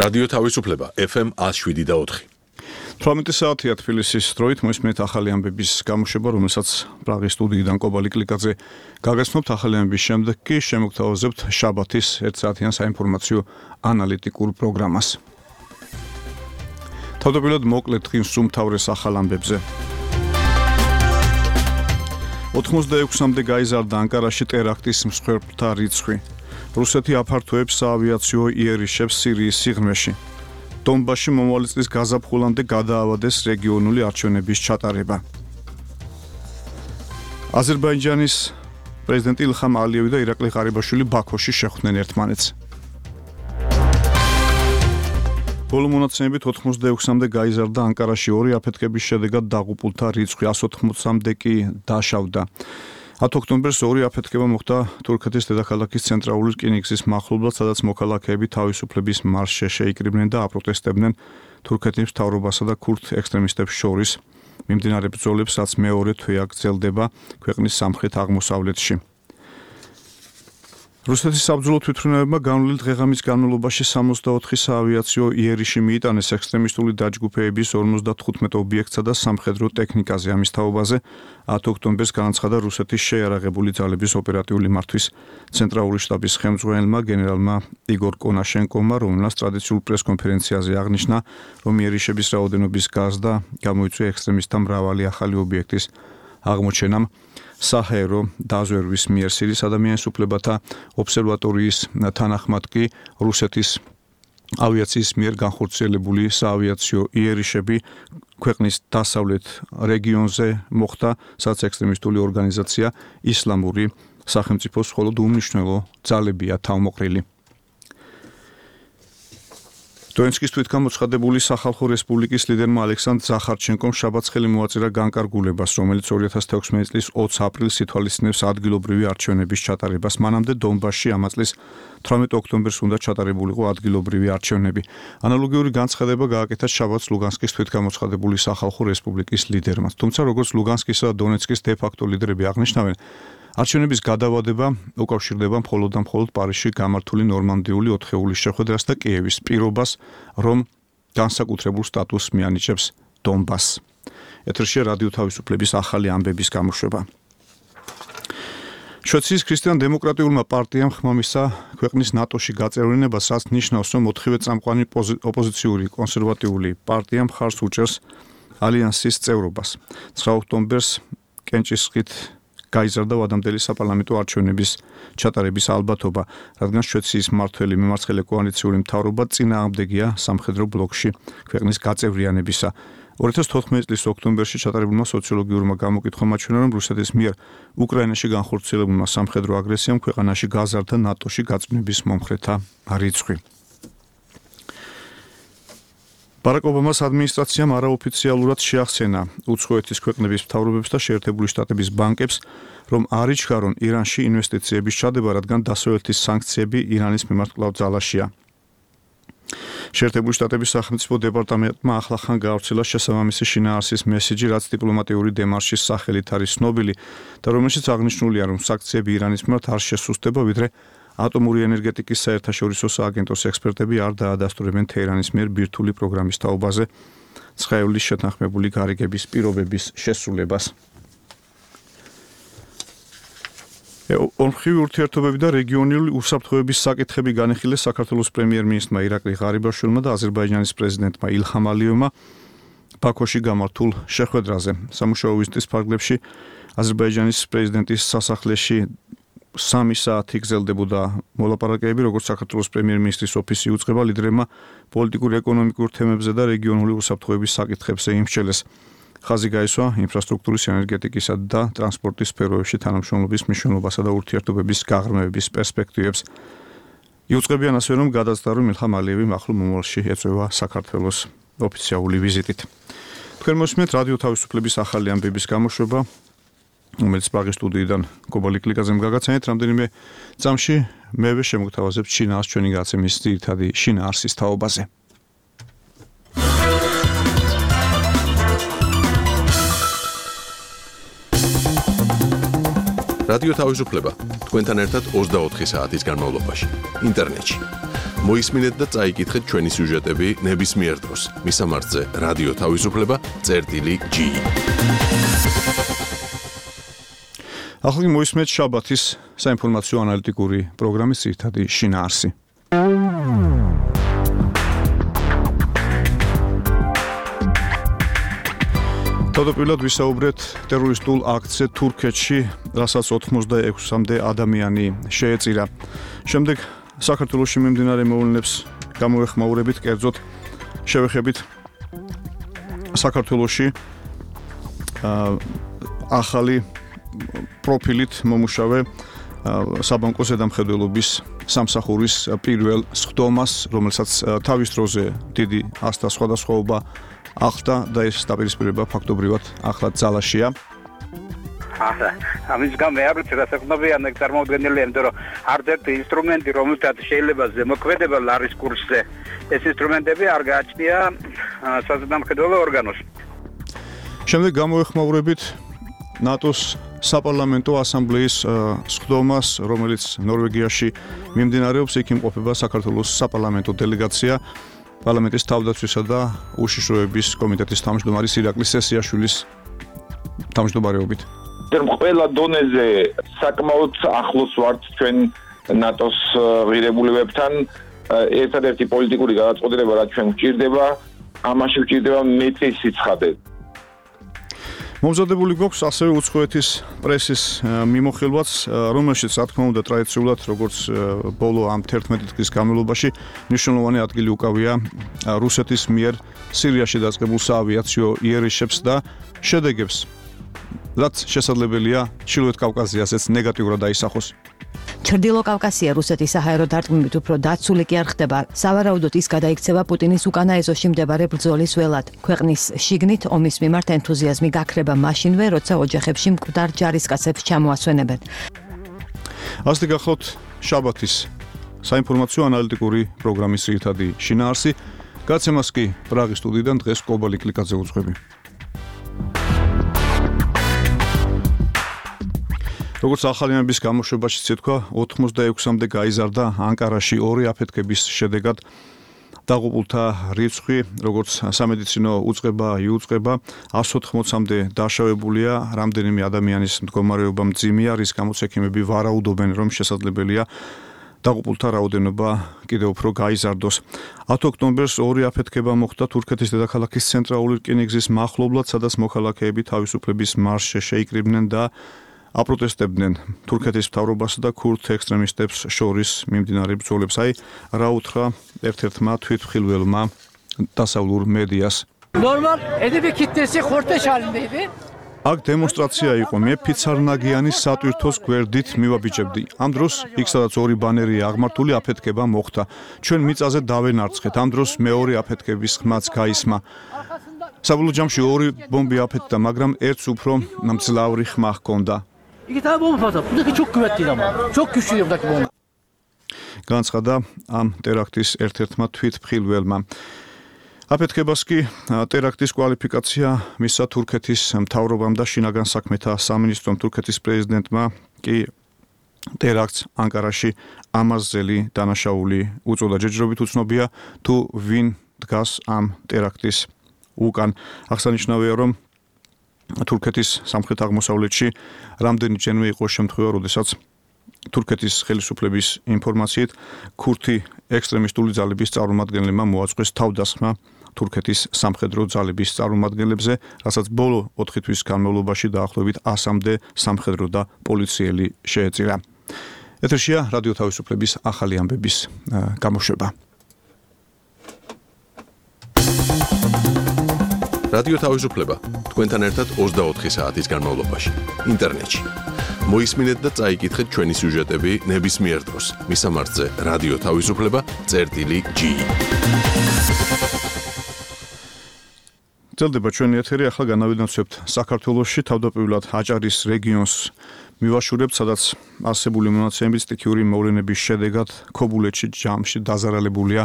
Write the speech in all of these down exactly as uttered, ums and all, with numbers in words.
რადიო თავისუფლება ეფ ემ one oh seven point four. თვრამეტი საათია თბილისის დროით მოისმენთ ახალი ამბების გამოშვება, რომელსაც პრაღის სტუდიიდან კობალი კლიკაძე გაგაცნობთ. ახალი ამბების შემდეგ კი შემოგთავაზებთ შაბათის ერთ საათიან საინფორმაციო ანალიტიკურ პროგრამას. თავდაპირველად მოკლედ დღის უმთავრეს ახალ ამბებზე. ოთხმოცდაექვსამდე გაიზარდა ანკარაში ტერაქტის მსხვერპლთა რიცხვი. რუსეთი აფართოებს საავიაციო იერიშებს სირიის სიღრმეში. დონბასში მომავალი წლის გაზაფხულამდე გადაავადეს რეგიონული არჩევნების ჩატარება. აზერბაიჯანის პრეზიდენტი ილხამ ალიევი და ირაკლი ღარიბაშვილი ბაქოში შეხვდნენ ერთმანეთს. ბოლო მონაცემებით ოთხმოცდაექვსამდე გაიზარდა ანკარაში ორი აფეთქების შედეგად დაღუპულთა რიცხვი one eighty-ამდე კი დაშავდა. ათი ოქტომბერს ორი აფეთქება მოხდა თურქეთის დედაქალაქის ცენტრალური რკინიგზის მახლობლად, სადაც მოქალაქეები თავისუფლების მარშზე შეიკრიბნენ და აპროტესტებდნენ თურქეთის მთავრობასა და ქურთ ექსტრემისტებს შორის მიმდინარე ბრძოლებს, რაც მეორე თვეა გრძელდება ქვეყნის სამხრეთ-აღმოსავლეთში. რუსეთის საბრძოლო თვითმფრინავებმა განვლილი დღეღამის განმავლობაში სამოცდაოთხი საავიაციო იერიში მიიტანეს ექსტრემისტული დაჯგუფეების ორმოცდათხუთმეტ ობიექტსა და სამხედრო ტექნიკაზე. ამის თაობაზე ათი ოქტომბერს განაცხადა რუსეთის შეიარაღებული ძალების ოპერატიული მართვის ცენტრალური შტაბის ხელმძღვანელმა გენერალმა იგორ კონაშენკოვმა, რომელმაც ტრადიციულ პრესკონფერენციაზე აღნიშნა, რომ იერიშების რაოდენობის გაზრდა გამოიწვია ექსტრემისტთა მრავალი ახალი ობიექტის აღმოჩენამ. საჰაერო დაზვერვის მიერ სირიის ადამიანის უფლებათა ობსერვატორიის თანახმად კი რუსეთის ავიაციის მიერ განხორციელებული საავიაციო იერიშები ქვეყნის დასავლეთ რეგიონზე მოხდა, სადაც ექსტრემისტული ორგანიზაცია ისლამური სახელმწიფოს მხოლოდ უმნიშვნელო ძალებია თავმოყრილი. დონეცკის თვითგამოცხადებული სახალხო რესპუბლიკის ლიდერმა ალექსანდრ ზახარჩენკომ შაბათს ხელი მოაწერა განკარგულებას, რომელიც ორი ათას თექვსმეტი წლის ოცი აპრილს ითვალისწინებს ადგილობრივი არჩევნების ჩატარებას. მანამდე დონბასში ამ წლის თვრამეტი ოქტომბერს უნდა ჩატარებულიყო ადგილობრივი არჩევნები. ანალოგიური განცხადება გააკეთა შაბათს ლუგანსკის თვითგამოცხადებული სახალხო რესპუბლიკის ლიდერმა. თუმცა როგორც ლუგანსკისა და დონეცკის დე-ფაქტო ლიდერები აღნიშნავენ, არჩევნების გადავადება უკავშირდება მხოლოდ და მხოლოდ პარიზში გამართული ნორმანდიული ოთხეულის შეხვედრას და კიევის პირობას, რომ განსაკუთრებულ სტატუსს მიანიჭებს დონბასს. ეთერშია რადიო თავისუფლების ახალი ამბების გამოშვება. შვეიცარიის ქრისტიან-დემოკრატიულმა პარტიამ ხმამისცა ქვეყნის ნატოში გაწევრიანებას, რაც ნიშნავს, რომ ოთხივე წამყვანი ოპოზიციური კონსერვატიული პარტია მხარს უჭერს ალიანსის წევრობას. ცხრა ოქტომბერს კენჭისყრით გაიზარდა ვადამდელი საპარლამენტო არჩევნების ჩატარების ალბათობა, რადგან შვეიცარიის მმართველი მემარცხენე კოალიციური მთავრობა წინააღმდეგია სამხედრო ბლოკში ქვეყნის გაწევრიანებისა. ორი ათას თოთხმეტი წლის ოქტომბერში ჩატარებულმა სოციოლოგიურმა გამოკითხვამ აჩვენა, რომ რუსეთის მიერ უკრაინაში განხორციელებულმა სამხედრო აგრესიამ ქვეყანაში გაზარდა ნატოში გაწმენდის მომხრეთა რიცხვი. ბარაკ ობამას ადმინისტრაციამ არაოფიციალურად შეახსენა უცხოეთის ქვეყნების მთავრობებს და შეერთებული შტატების ბანკებს, რომ არ იჩქარონ ირანში ინვესტიციების ჩადება, რადგან დასავლეთის სანქციები ირანის მიმართ კვლავ ძალაშია. შეერთებული შტატების სახელმწიფო დეპარტამენტმა ახლახან გაავრცელა შესაბამისი შინაარსის მესიჯი, რაც დიპლომატიური დემარშის სახელით არის ცნობილი და რომელშიც აღნიშნულია, რომ სანქციები ირანის მიმართ არ შესუსტება, ვიდრე ატომური ენერგეტიკის საერთაშორისო სააგენტოს ექსპერტები არ დაადასტურებენ თეირანის მიერ ბირთვული პროგრამის თაობაზე ცხაევლის შეთანხმებული გარიგების პირობების შესრულებას. ორმხრივი ურთიერთობები და რეგიონული უსაფრთხოების საკითხები განიხილეს საქართველოს პრემიერ-მინისტრმა ირაკლი ღარიბაშვილმა და აზერბაიჯანის პრეზიდენტმა ილხამ ალიევმა ბაქოში გამართულ შეხვედრაზე. სამუშაო ვიზიტის ფარგლებში აზერბაიჯანის პრეზიდენტის სასახლეში სამი საათი გრძელდებოდა მოლაპარაკებები, როგორც საქართველოს პრემიერ-მინისტრის ოფისი უწყება ლიდერებმა პოლიტიკურ ეკონომიკურ თემებზე და რეგიონული უსაფრთხოების საკითხებზე იმსჯელეს. ხაზი გაისვა ინფრასტრუქტურის, ენერგეტიკისა და ტრანსპორტის სფეროებში თანამშრომლობის მნიშვნელობასა და ურთიერთობების გაღრმავების პერსპექტივებს. იუწყებიან ასევე, რომ გადაწყდა, რომ ილხამ ალიევი ახლო მომავალში ეწევა საქართველოს ოფიციალური ვიზიტით. თქვენ მოსმენთ რადიო თავისუფლების ახალი ამბების გამოშვება, რომელიც პრაღის სტუდიიდან კობალი კლიკაძემ გაგაცანეთ. რამდენიმე წამში მევე შემოგთავაზებთ შინაარს ჩვენი გაცემის ძირითადი შინაარსის თაობაზე. რადიო თავისუფლება თქვენთან ერთად ოცდაოთხი საათის განმავლობაში ინტერნეტში მოისმინეთ და წაიკითხეთ ჩვენი სიუჟეტები ნებისმიერ დროს. მისამართზე რადიო თავისუფლება წერტილი ჯი. ახლა მოისმენთ შაბათის საინფორმაციო ანალიტიკური პროგრამის ძირითადი შინაარსი. თავდაპირველად ვისაუბრეთ ტერორისტულ აქტზე თურქეთში, რასაც ოცდაექვსამდე ადამიანი შეეწირა. შემდეგ საქართველოში მიმდინარე მოვლენებს გამოეხმაურებით, კერძოდ შევეხებით საქართველოში ახალი პროფილით მომუშავე საბანკო ზედამხედველობის სამსახურის პირველ სხდომას, რომელსაც თავის დროზე დიდი ასთა სხვადასხვაობა ახდა და ეს დაპირისპირება ფაქტობრივად ახლა ძალაშია. ახლა ამის გამო მეაბრით რასაქმნავიანა წარმოუდგენელია, იმიტომ რომ არც-ერთი ინსტრუმენტი, რომელთაც შეიძლება ზემოქმედებელ არის კურსზე, ეს ინსტრუმენტები არ გააჩნია საზედამხედველო ორგანოს. შემდეგ გამოეხმაურებით ნატოს საპარლამენტო ასამბლეის სხდომას, რომელიც ნორვეგიაში მიმდინარეობს, იქ იმყოფება საქართველოს საპარლამენტო დელეგაცია. პარლამენტის თავდაცვისა და უშიშროების კომიტეტის თავმჯდომარის ირაკლი სესიაშვილის თავმჯდომარეობით. ყველა დონეზე საკმაოდ ახლოს ვართ ჩვენ ნატოს ღირებულებებთან. ერთადერთი პოლიტიკური გადაწყვეტილება, რაც ჩვენ გვჭირდება, ამაში გვჭირდება მეტი სიცხადე. მომზადებული გვაქვს ასევე უცხოეთის პრესის მიმოხილვაც, რომელშიც რა თქმა უნდა ტრადიციულად, როგორც ბოლო ამ თერთმეტი დღის განმავლობაში, მნიშვნელოვანი ადგილი უკავია რუსეთის მიერ სირიაში დაწყებულ საავიაციო იერიშებს და შედეგებს, რაც შესაძლებელია ჩრდილოეთ კავკასიასაც ნეგატიურად დაისახოს. ჩრდილო კავკასია რუსეთის საჰაერო დარტყმებით უფრო დაცული კი არ ხდება. სავარაუდოდ ის გადაიქცევა პუტინის უკანა ეზოში მდებარე ბრძოლის ველად. ქვეყნის შიგნით ომის მიმართ ენთუზიაზმი გაქრება მაშინვე, როცა ოჯახებში მკვდარ ჯარისკაცებს ჩამოასვენებენ. ასეთი გახლავთ შაბათის საინფორმაციო ანალიტიკური პროგრამის ძირითადი შინაარსი. გაცემას კი პრაღის სტუდიიდან დღეს კობალი კლიკაძე უძღვები. როგორც ახალი ამბის გამოშვებაში ცეთქვა, ოცდაექვსამდე გაიზარდა ანკარაში ორი აფეთქების შედეგად დაღუპულთა რიცხვი, როგორც სამედიცინო უწყება იუწყება, εκατს ოთხმოცამდე დაშავებულია, რამდენიმე ადამიანის მდგომარეობა მძიმეა, რის გამოც ექიმები ვარაუდობენ, რომ შესაძლებელია დაღუპულთა რაოდენობა კიდევ უფრო გაიზარდოს. ათი ოქტომბერს ორი აფეთქება მოხდა თურქეთის დედაქალაქის ცენტრალური რკინიგზის მახლობლად, სადაც მოქალაქეები თავისუფლების მარშზე შეიკრიბნენ და აპროტესტებდნენ თურქეთის მთავრობასა და ქურთ ექსტრემისტებს შორის მიმდინარე ბრძოლებს. აი რა უთხრა ერთ-ერთმა თვითმხილველმა დასავლურ მედიას. Normal edeb kitlesi korteş halindeydi. აქ დემონსტრაცია იყო, მე ფიცარნაგიანის სატვირთოს გვერდით მივაბიჭებდი. ამ დროს იქ სადაც ორი ბანერია აღმართული, აფეთქება მოხდა. ჩვენ მიწაზე დავენარცხეთ. ამ დროს მეორე აფეთქების ხმაც გაისმა. საბოლოო ჯამში ორი ბომბი აფეთქდა, მაგრამ ერთს უფრო მძლავრი ხმა ჰქონდა. İki tane bomba patladı. Buradaki çok kuvvetliydi ama. Çok güçlüydü buradaki bomba. განცხადა ამ ტერაქტის ერთ-ერთმა თვითმხილველმა. აფეთქებას კი ტერაქტის კვალიფიკაცია მისცა თურქეთის მთავრობამ და შინაგან საქმეთა სამინისტრომ. თურქეთის პრეზიდენტმა კი ტერაქტს ანკარაში ამაზელი დანაშაული უწოდა. ჯერჯერობით უცნობია თუ ვინ დგას ამ ტერაქტის უკან. აღსანიშნავია, რომ თურქეთის სამხრეთ-აღმოსავლეთში რამდენიჯერმე იყო შემთხვევა, როდესაც თურქეთის ხელისუფლების ინფორმაციით ქურთი ექსტრემისტული ძალების წარმომადგენლებმა მოაწყვეს თავდასხმა თურქეთის სამხედრო ძალების წარმომადგენლებზე, რასაც ბოლო ოთხი თვის განმავლობაში დაახლოებით ასამდე სამხედრო და პოლიციელი შეეწირა. ეთერშია რადიო თავისუფლების ახალი ამბების გამოშვება. რადიო თავისუფლება თქვენთან ერთად ოცდაოთხი საათის განმავლობაში ინტერნეტში. მოისმინეთ და წაიკითხეთ ჩვენი სიუჟეტები ნებისმიერ დროს. მისამართზე რადიო თავისუფლება წერტილი ჯი. ძლდება ჩვენი ეთერი, ახლა განავინაცვლებთ საქართველოში, თავდაპირველად აჭარის რეგიონს მივაშურებთ, სადაც არსებული მონაცემებით სტიქიური მოვლენების შედეგად ქობულეთში ჯამში დაზარალებულია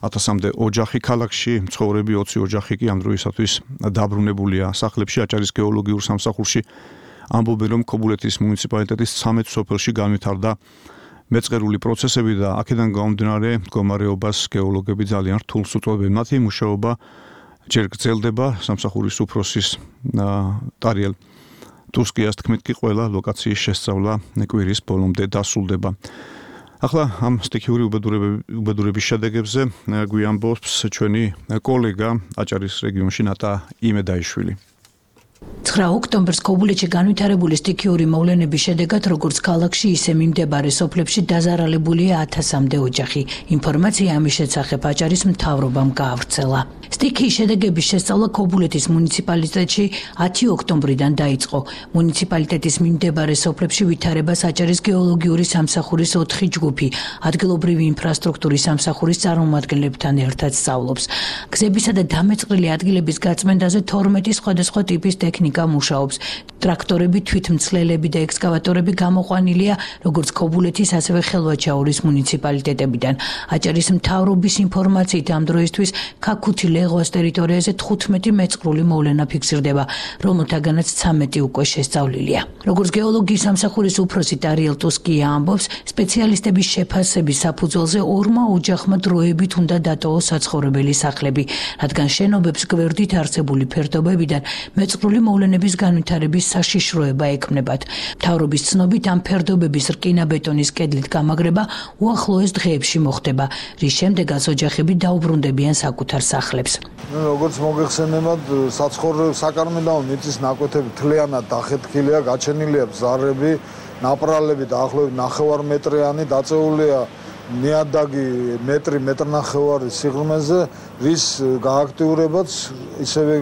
ათასამდე ოჯახი. ქალაქში მცხოვრები ოცი ოჯახი კი ამ დროისათვის დაბრუნებულია სახლებში. აჭარის გეოლოგიურ სამსახურში ამბობენ, რომ ქობულეთის მუნიციპალიტეტის ცამეტ სოფელში განვითარდა მეწყერული პროცესები და აქედან გამომდინარე მდგომარეობას გეოლოგები ძალიან რთულს უწოდებენ. მათი მუშაობა ჯერ გრძელდება, სამსახურის უფროსის ტარიელ ტუსკიას თქმით კი ყველა ლოკაციის შესწავლა კვირის ბოლომდე დასრულდება. ახლა ამ სტიქიური უბედურების შედეგებზე გვიამბობს ჩვენი კოლეგა აჭარის რეგიონში ნატა იმედაიშვილი. ცხრა ოქტომბერს ქობულეთში განვითარებული სტიქიური მოვლენების შედეგად როგორც ქალაქში, ისე მიმდებარე სოფლებში დაზარალებულია ათასამდე ოჯახი. ინფორმაცია ამის შესახებ აჭარის მთავრობამ გაავრცელა. სტიქიის შედეგების შესწავლა ქობულეთის მუნიციპალიტეტში ათი ოქტომბრიდან დაიწყო. მუნიციპალიტეტის მიმდებარე სოფლებში ვითარებას აჭარის გეოლოგიური სამსახურის ოთხი ჯგუფი, ადგილობრივი ინფრასტრუქტურის სამსახურის წარმომადგენლებთან ერთად სწავლობს. გზებისა და დამეწყრილი ადგილების გაწმენდაზე თორმეტი სხვადასხვა ტიპის ტექნიკა მუშაობს. ტრაქტორები, თვითმცლელები და ექსკავატორები გამოყვანილია როგორც ქობულეთის, ასევე ხელვაჩაურის მუნიციპალიტეტებიდან. აჭარის მთავრობის ინფორმაციით ამ დროისთვის ქაქუთი ლეღვას ტერიტორიაზე თხუთმეტი მეწყრული მოვლენა ფიქსირდება, რომელთაგანაც ცამეტი უკვე შესწავლილია. როგორც გეოლოგიის სამსახურის უფროსი ტარიელ ტუსკია ამბობს, სპეციალისტების შეფასების საფუძველზე ორმა ოჯახმა დროებით უნდა დატოვოს საცხოვრებელი სახლები, რადგან შენობებს გვერდით არსებული ფერდობებიდან მეწყრული მოვლენების განვითარების საშიშროება ექმნებათ. მთავრობის ცნობით ამ ფერდობების რკინა-ბეტონის კედლით გამაგრება უახლოეს დღეებში მოხდება, რის შემდეგაც ოჯახები დაუბრუნდებიან საკუთარ სახლებს. როგორც მოგეხსენებათ, საცხოვრებელი საკარმიდამო მიწის ნაკვეთები თლიანად დახეთქილია, გაჩენილია ბზარები, ნაპრალები დაახლოებით ნახევარმეტრიანი დაწეულია ნიადაგი მეტრი მეტრნახევარი სიღრმეზე, რის გააქტიურებაც ისევე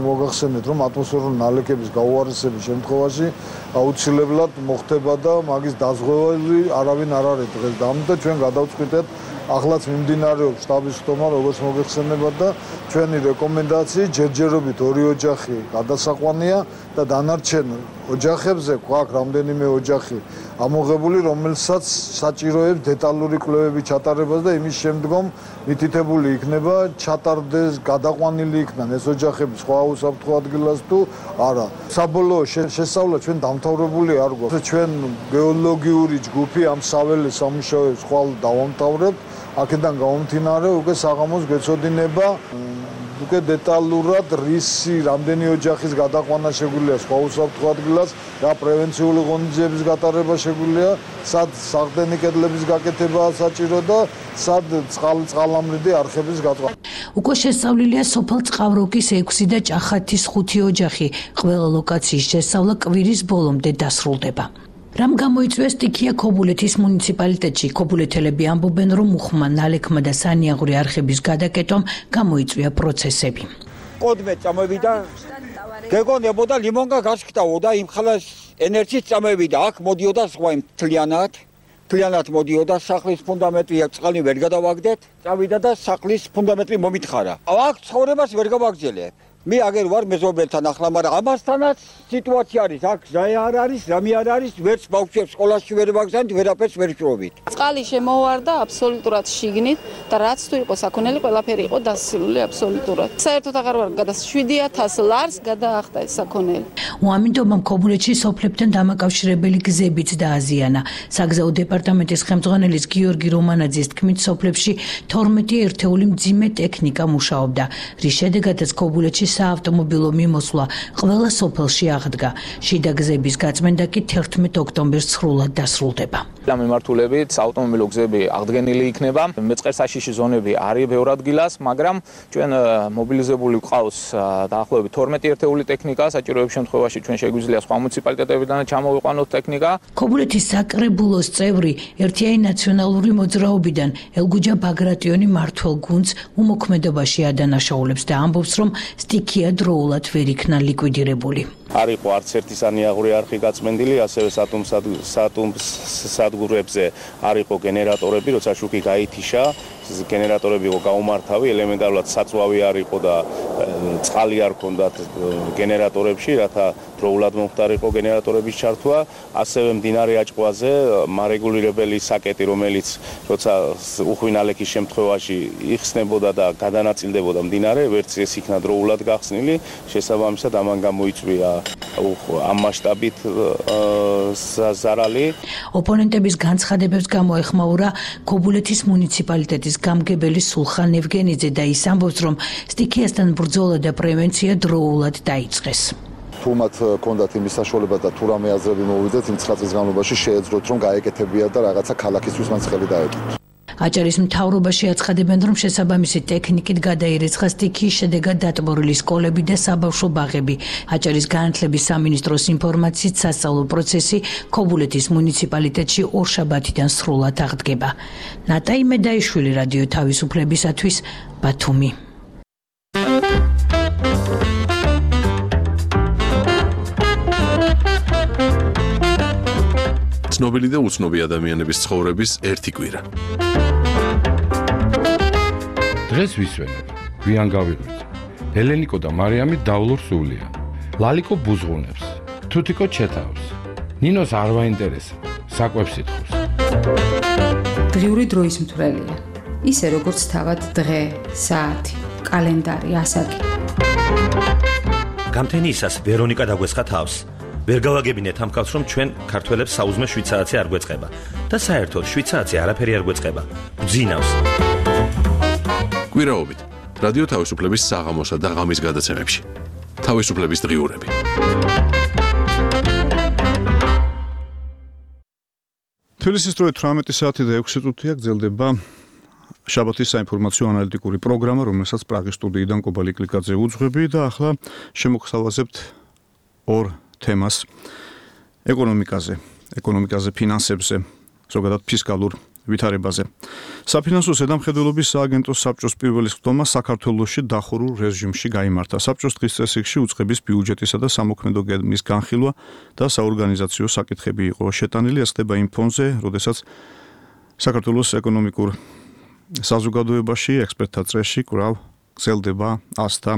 მოგახსენეთ, რომ ატმოსფერული ნალექების გაუარესების შემთხვევაში აუცილებლად მოხდება და მაგის დაზღვევები არავინ არ არის დღეს და ამიტომ ჩვენ გადავწყვიტეთ ახლაც მიმდინარეობს შტაბის ხტომა, როგორც მოგეხსენებათ და ჩვენი რეკომენდაცია ჯერჯერობით ორი ოჯახი გადასაყვანია და დანარჩენ ოჯახებზე გვაქვს რამდენიმე ოჯახი ამოღებული, რომელსაც საჭიროებს დეტალური კვლევები ჩატარებას და იმის შემდგომ მითითებული იქნება ჩატარდეს, გადაყვანილი იქნან ეს ოჯახები სხვა უსაფრთხო ადგილას თუ არა. საბოლოო შესწავლა ჩვენ დამთავრებული არ გვაქვს. ჩვენ გეოლოგიური ჯგუფი ამ საველე სამუშაოებს ხვალ დავამთავრებთ. აქედან გამომდინარე უკვე საღამოს გვეცოდინება უკვე დეტალურად რისი რამდენი ოჯახის გადაყვანა შეგვიძლია სხვა უსაფრთხო ადგილას, რა პრევენციული ღონისძიების გატარება შეგვიძლია, სად საყრდენი კედლების გაკეთებაა საჭირო და სად წყალამრიდი არხების გაწყვეტა. უკვე შესწავლილია სოფელ წყავროკის ექვსი და ჭახათის ხუთი ოჯახი. ყველა ლოკაციის შესწავლა კვირის ბოლომდე დასრულდება. რამ გამოიწვია სტიქია ქობულეთის მუნიციპალიტეტში? ქობულეთელები ამბობენ, რომ უხმა, ნალექმა და სანიაღური არხების გადაკეთვამ გამოიწვია პროცესები. კოდმე წამოვიდა, გეგონებოდა ლიმონგა გასკტაოდა იმ ხალას ენერგიის წამოვიდა, აქ მოდიოდა სხვა იმ თლიანად, თლიანად მოდიოდა სახლის ფუნდამენტი, წყალი ვერ გადავაგდეთ, წავიდა და სახლის ფუნდამენტი მომითხარა. აქ ცხოვრებას ვერ გავაგრძელებ. მე აგერ ვარ მეზობელთან ახლა, მაგრამ ამასთანაც სიტუაცია არის, აქ ზაი არ არის, რამე არ არის, ვერც ბავშვებს სკოლაში ვერ ვაგზავნით, ვერაფერს ვერ შრობით. წყალი შემოვარდა აბსოლუტურად შიგნით და რაც თუ იყო საქონელი, ყველაფერი იყო დასილული აბსოლუტურად. საერთოდ აღარ ვარ გადას შვიდი ათასი ლარს გადაახტა ეს საქონელი. უამინდობამ ქობულეთში სოფლებთან დამაკავშირებელი გზებიც დააზიანა. საგზაო დეპარტამენტის ხელმძღვანელის გიორგი რომანაძის თქმით, სოფლებში თორმეტი ერთეული მძიმე ტექნიკა მუშაობდა, რის შედეგადაც ქობულეთში საავტომობილო მიმოსვლა ყველა სოფელში აღდგა. შიდა გზების გაწმენდა კი თერთმეტ ოქტომბერს სრულად დასრულდება. ამ მიმართულებით საავტომობილო გზები აღდგენილი იქნება. მეწყერსაშიში ზონები არის ბევრ ადგილას, მაგრამ ჩვენ მობილიზებული გვყავს დაახლოებით თორმეტი ერთეული ტექნიკა, საჭიროების შემთხვევაში ჩვენ შეგვიძლია სხვა მუნიციპალიტეტებიდან ჩამოვიყვანოთ ტექნიკა. ქობულეთის საკრებულოს წევრი ერთიანი ნაციონალური მოძრაობიდან ელგუჯა ბაგრატიონი მართლ გუნდს უმოქმედობაში ადანაშაულებს და ამბობს, რომ სტიქია დროულად ვერ იქნა ლიკვიდირებული. არ იყო არც ერთი სანიაღური არხი გაწმენდილი, ასევე სატუმ სატუმ სადგურებზე არ იყო გენერატორები, როცა შუქი გაითიშა, გენერატორები იყო გაუმართავი, ელემენტარულად საწვავი არ იყო და წყალი არ ქონდათ გენერატორებში, რათა დროულად მომხდარიყო გენერატორების ჩართვა, ასევე მდინარე აჭყვაზე მარეგულირებელი საკეტი, რომელიც როცა უხვინალექის შემთხვევაში იხსნებოდა და გადანაწილდებოდა მდინარე, ვერც ეს იქნა დროულად გახსნილი, შესაბამისად ამან გამოიწვია ამ მასშტაბით ზარალი. ოპონენტების განცხადებებს გამოეხმაურა ქობულეთის მუნიციპალიტეტის გამგებელი სულხან ევგენიძე და ის ამბობს, რომ სტიქიასთან ბრძოლა და პრევენცია დროულად დაიწყეს. თუ მათ ჰქონდათ იმის საშუალება და თუ რამე აზრები მოვიდეთ, იმ ცხრა წლის განმავლობაში შეეძლოთ რომ გაეკეთებიათ და რაღაცა ქალაქისთვის მან ხელი დაეთქვათ. აჭარის მთავრობაში აცხადებენ, რომ შესაბამისი ტექნიკით გადაირიცხა სტიქიის შედეგად დატბორილი სკოლები და საბავშვო ბაღები. აჭარის განათლების სამინისტროს ინფორმაციით სასწავლო პროცესი ქობულეთის მუნიციპალიტეტში ორშაბათიდან სრულად აღდგება. ნატაი მედაიშვილი, რადიო თავისუფლებისათვის, ბათუმი. ცნობილი და უცნობი ადამიანების ცხოვრების ერთი კვირა. დღეს ვისვენებ, გვიან გავიღვიძე. ელენიკო და მარიამი დავლურ სულია. ლალიკო ბუზღუნებს, თუთიკო ჩეთავს. ნინოს არ ვაინტერესა, საკვებს ითხოვს. დღიური დროის მთვრელია. ისე როგორც თავად დღე, საათი, კალენდარი, ასაკი. გამთენიისას ვერონიკა დაგვესხა თავს. ვერ გავაგებინეთ ამ კაცს, რომ ჩვენ ქართველებს საუზმე შვიდ საათი არ გვეწყება და საერთოდ შვიდ საათი არაფერი არ გვეწყება. ბძინავს. კვირაობით რადიო თავისუფლების საღამოსა და ღამის გადაცემებში. თავისუფლების დღიურები. თბილისის დროით თვრამეტი საათი და ექვსი წუთია გრძელდება შაბათის საინფორმაციო ანალიტიკური პროგრამა, რომელსაც პრაღის სტუდიიდან კობალი კლიკაძე უძღვები და ახლა შემოგხსავაზებთ ორ თემას ეკონომიკაზე, ეკონომიკაზე, ფინანსებზე, ზოგადად ფისკალურ ვითარებაზე. საფინანსო ზედამხედველობის სააგენტოს საბჭოს პირველი სხდომა საქართველოში დახურულ რეჟიმში გაიმართა. საბჭოს დღის წესრიგში უწყების ბიუჯეტისა და სამოქმედო გეგმის განხილვა და საორგანიზაციო საკითხები იყო შეტანილი. ეს ხდება იმ ფონზე, როდესაც საქართველოს ეკონომიკურ საზოგადოებაში ექსპერტთა წრეში კვლავ გრძელდება ასთა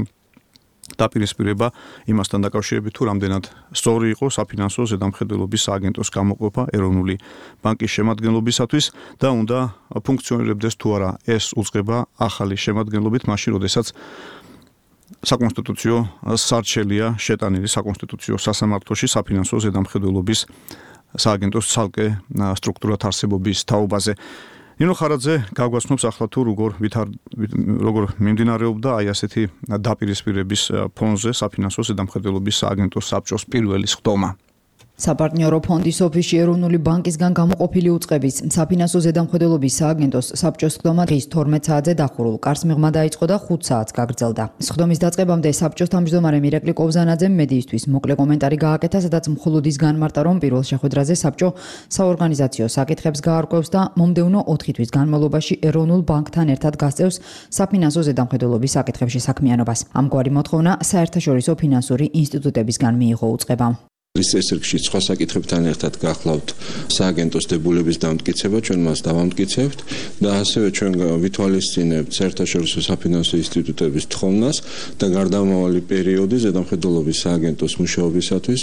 დაპირისპირება იმასთან დაკავშირებით, თუ რამდენად სწორი იყო საფინანსო ზედამხედველობის სააგენტოს გამოყოფა ეროვნული ბანკის შემადგენლობისათვის და უნდა ფუნქციონირებდეს თუ არა ეს უწყება ახალი შემადგენლობით, მაშინ როდესაც საკონსტიტუციო სარჩელია შეტანილი საკონსტიტუციო სასამართლოში საფინანსო ზედამხედველობის სააგენტოს ცალკე სტრუქტურად არსებობის თაობაზე. ნინო ხარაძე გაგვაცნობს ახლა თუ როგორ ვითარ როგორ მიმდინარეობდა აი ასეთი დაპირისპირების ფონზე საფინანსო ზედამხედველობის სააგენტოს საბჭოს პირველი სხდომა. საპარტნიორო ფონდის ოფისში ეროვნული ბანკისგან გამოყოფილი უწყების საფინანსო ზედამხედველობის სააგენტოს საბჭოს სხდომა დღის თორმეტ საათზე დახურულ კარს მიღმა დაიწყო და ხუთ საათს გაგრძელდა. სხდომის დაწყებამდე საბჭოს თავმჯდომარე მირაკლი კობზანაძემ მედიისთვის მოკლე კომენტარი გააკეთა, სადაც მხოლოდ ის განმარტა, რომ პირველ შეხვედრაზე საბჭო საორგანიზაციო საკითხებს გაარკვევს და მომდევნო ოთხი თვის განმავლობაში ეროვნულ ბანკთან ერთად გასწევს საფინანსო ზედამხედველობის საკითხებში საქმიანობას. ამგვარი მოთხოვნა საერთაშორისო ფინანსური ინსტიტუტებისგან მიიღო უწყებამ. ის წესრიგში სხვა საკითხებთან ერთად გახლავთ სააგენტოს დებულების დამტკიცება, ჩვენ მას დავამტკიცებთ და ასევე ჩვენ ვითვალისწინებთ საერთაშორისო საფინანსო ინსტიტუტების თხოვნას და გარდამავალი პერიოდი ზედამხედველობის სააგენტოს მუშაობისათვის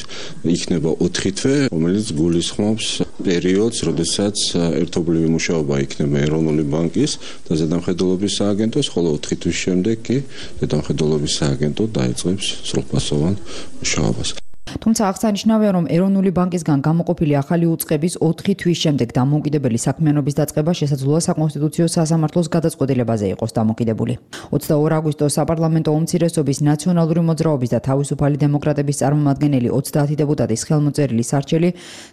იქნება ოთხი თვე, რომელიც გულისხმობს პერიოდს, როდესაც ერთობლივი მუშაობა იქნება ეროვნული ბანკის და ზედამხედველობის სააგენტოს, ხოლო ოთხი თვის შემდეგ კი ზედამხედველობის სააგენტო დაიწყებს სრულფასოვან მუშაობას. თუმცა აღსანიშნავია, რომ ეროვნული ბანკისგან გამოყოფილი ახალი უწყების ოთხი თვის შემდეგ დამოუკიდებელი საქმიანობის დაწყება შესაძლოა საკონსტიტუციო სასამართლოს გადაწყვეტილებაზე იყოს დამოკიდებული. ოცდაორი აგვისტოს საპარლამენტო უმცირესობის ნაციონალური მოძრაობის და თავისუფალი დემოკრატების წარმომადგენელი ოცდაათი დეპუტატის ხელმოწერილი სარჩელი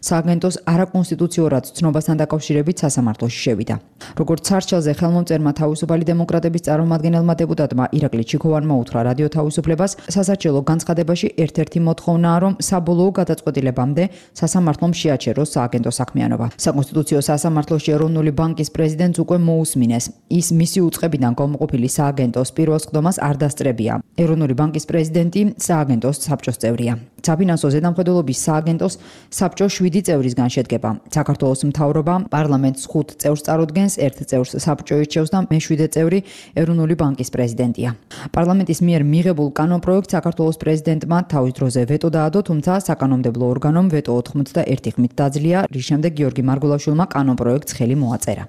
სააგენტოს არაკონსტიტუციურად ცნობასთან დაკავშირებით სასამართლოში შევიდა. როგორც სარჩელზე ხელმომწერმა თავისუფალი დემოკრატების წარმომადგენელმა დეპუტატმა ირაკლი ჩიქოვანმა უთხრა რადიო თავისუფლებას, სასარჩელო განცხადებაში ერთ-ერთი მოთხოვნაა, რომ საბოლოო გადაწყვეტილებამდე სასამართლომ შეაჩეროს სააგენტო საქმიანობა. საკონსტიტუციო სასამართლოში ეროვნული ბანკის პრეზიდენტს უკვე მოусმინეს. ის მისი უწყებიდან გამოყოფილი სააგენტოს პირველ სხდომას არ დასწრებია. ეროვნული ბანკის პრეზიდენტი სააგენტოს საბჭოს წევრია. საფინანსო ზედამხედველობის სააგენტოს საბჭო შვიდი წევრისგან შედგება. საქართველოს მთავრობა პარლამენტს ხუთ წევრს წარუდგენს, ერთ წევრს საბჭო ირჩევს და მეშვიდე წევრი ეროვნული ბანკის პრეზიდენტია. პარლამენტის მიერ მიღებულ კანონპროექტს საქართველოს პრეზიდენტმა თავის დროზე ვეტო დაადო, თუმცა საკანონმდებლო ორგანომ ვეტო ოთხმოცდაერთი ხმით დაძლია, რის შემდეგ გიორგი მარგულაშვილმა კანონპროექტს ხელი მოაწერა.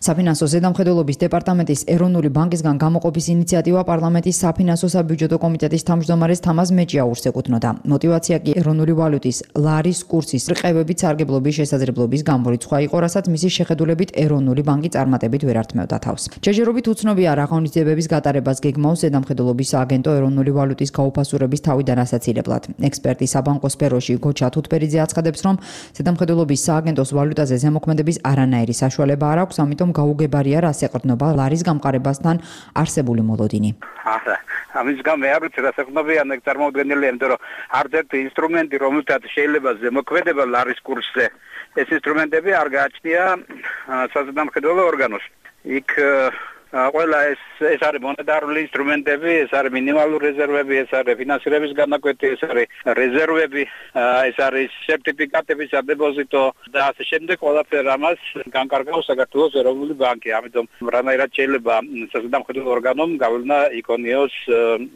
საფინანსო ზედამხედველობის დეპარტამენტის ეროვნული ბანკისგან გამოყოფის ინიციატივა პარლამენტის საფინანსო საბიუჯეტო კომიტეტის თავმჯდომარეს თამაზ მეჭიაურს ეკუთვნოდა. მოტივაცია კი ეროვნული ვალუტის ლარის კურსის რყევებით სარგებლობის შესაძლებლობის გამორიცხვა იყო, რასაც მისი შეხედულებით ეროვნული ბანკი წარმატებით ვერ ართმევდა თავს. ჯერჯერობით უცნობია რა ღონისძიებების გატარებას გეგმავს ზედამხედველობის სააგენტო ეროვნული ვალუტის გაუფასურების თავიდან ასაცილებლად. ექსპერტი საბანკო სფეროში გოჩა თუთბერიძე აცხადებს, რომ ზედამხედველობის სააგენტოს ვალუტაზე ზემოქმედების არანაირი საშუალება არ აქვს, ამიტომ გაუგებარია რას ეყრდნობა ლარის გამყარებასთან არსებული მოლოდინი. ახლა ამის გამო არ ვიცი რა საქმეა ნეკ წარმოუდგენელია, იმიტომ რომ არც ერთი ინსტრუმენტი, რომელთაც შეიძლება ზემოქმედება ლარის კურსზე, ეს ინსტრუმენტები არ გააჩნია საზედამხედველო ორგანოს. იქ ყველა ეს ეს არის მონეტარული ინსტრუმენტები, ეს არის მინიმალური რეზერვები, ეს არის ფინანსირების განაკვეთი, ეს არის რეზერვები, ეს არის სერტიფიკატების სადებოზიტო და ასე შემდეგ. ყველაფერ ამას განკარგავს საქართველოს ეროვნული ბანკი. ამიტომ რანაირად შეიძლება საზედამხედველო ორგანომ გავლენა იქონიოს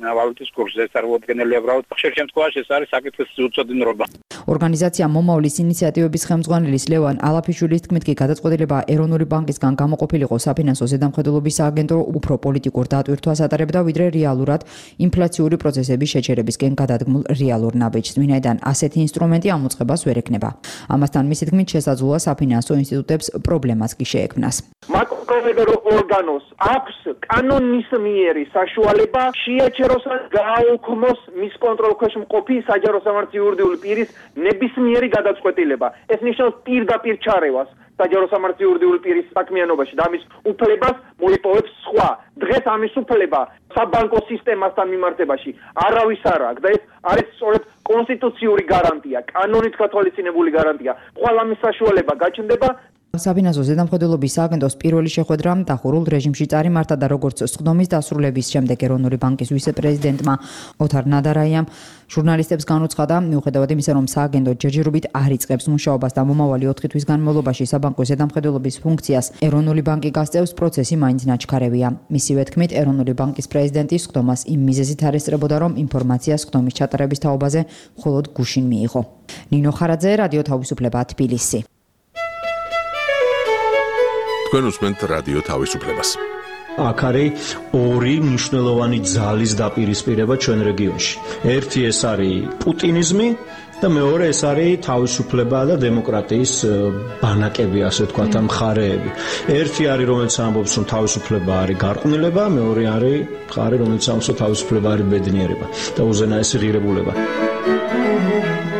ვალუტის კურსზე. ეს წარმოუდგენელია უბრალოდ. ხშირ შემთხვევაში ეს არის საკითხის უწოდინრობა. ორგანიზაცია მომავლის ინიციატივების ხელმძღვანელის ლევან ალაფიშვილის თქმით კი გადაწყვეტილება ეროვნული ბანკისგან გამოყოფილიყო საფინანსო ზედამხედველობის სააგენტო უფრო პოლიტიკურ დატვირთვას ატარებდა, ვიდრე რეალურად ინფლაციური პროცესების შეჩერებისკენ გადადგმულ რეალურ ნაბიჯს, ვინაიდან ასეთი ინსტრუმენტი ამოწყებას ვერ ექნება. ამასთან მისი თქმით შესაძლოა საფინანსო ინსტიტუტებს პრობლემაც კი შეექმნას. მაკროპროვედერო ორგანოს აქვს კანონისმიერი საშუალება შეაჩეროს ან გააუქმოს მის კონტროლ ქვეშ მყოფი საჯარო სამართლის იურიდიული პირის ნებისმიერი გადაწყვეტილება. ეს ნიშნავს პირდაპირ ჩარევას საჯარო სამართლის იურიდიული პირის საქმიანობაში და ამის უფლებას მოიპოვებს სხვა. დღეს ამის უფლება საბანკო სისტემასთან მიმართებაში არავის არ აქვს და ეს არის სწორედ კონსტიტუციური გარანტია, კანონით გათვალისწინებული გარანტია. ყველა ამის საშუალება გაჩნდება. საფინანსო ზედამხედველობის სააგენტოს პირველი შეხვედრა დახურულ რეჟიმში წარიმართა და როგორც სხდომის დასრულების შემდეგ ეროვნული ბანკის ვიცე-პრეზიდენტმა ოთარ ნადარაიამ ჟურნალისტებს განუცხადა, მიუხედავად იმისა, რომ სააგენტო ჯერჯერობით არ იწყებს მუშაობას და მომავალი ოთხი თვის განმავლობაში საბანკო ზედამხედველობის ფუნქციას ეროვნული ბანკი გასწევს, პროცესი მაინც ნაჩქარევია. მისივე თქმით, ეროვნული ბანკის პრეზიდენტი სხდომას იმ მიზეზით არ ესწრებოდა, რომ ინფორმაცია სხდომის ჩატარების თაობაზე მხოლოდ გუშინ მიიღო. ნინო ხარაძე, რადიო თავისუფლება, თბილისი. თქვენ უსმენთ რადიო თავისუფლებას. აქ არის ორი მნიშვნელოვანი ძალის დაპირისპირება ჩვენ რეგიონში. ერთი ეს არის პუტინიზმი და მეორე ეს არის თავისუფლება და დემოკრატიის ბანაკები, ასე ვთქვათ, მხარეები. ერთი არის, რომელიც ამბობს, რომ თავისუფლება არის გარყვნილება, მეორე არის მხარე, რომელიც ამბობს, რომ თავისუფლება არის ბედნიერება და უზენაესი ღირებულება.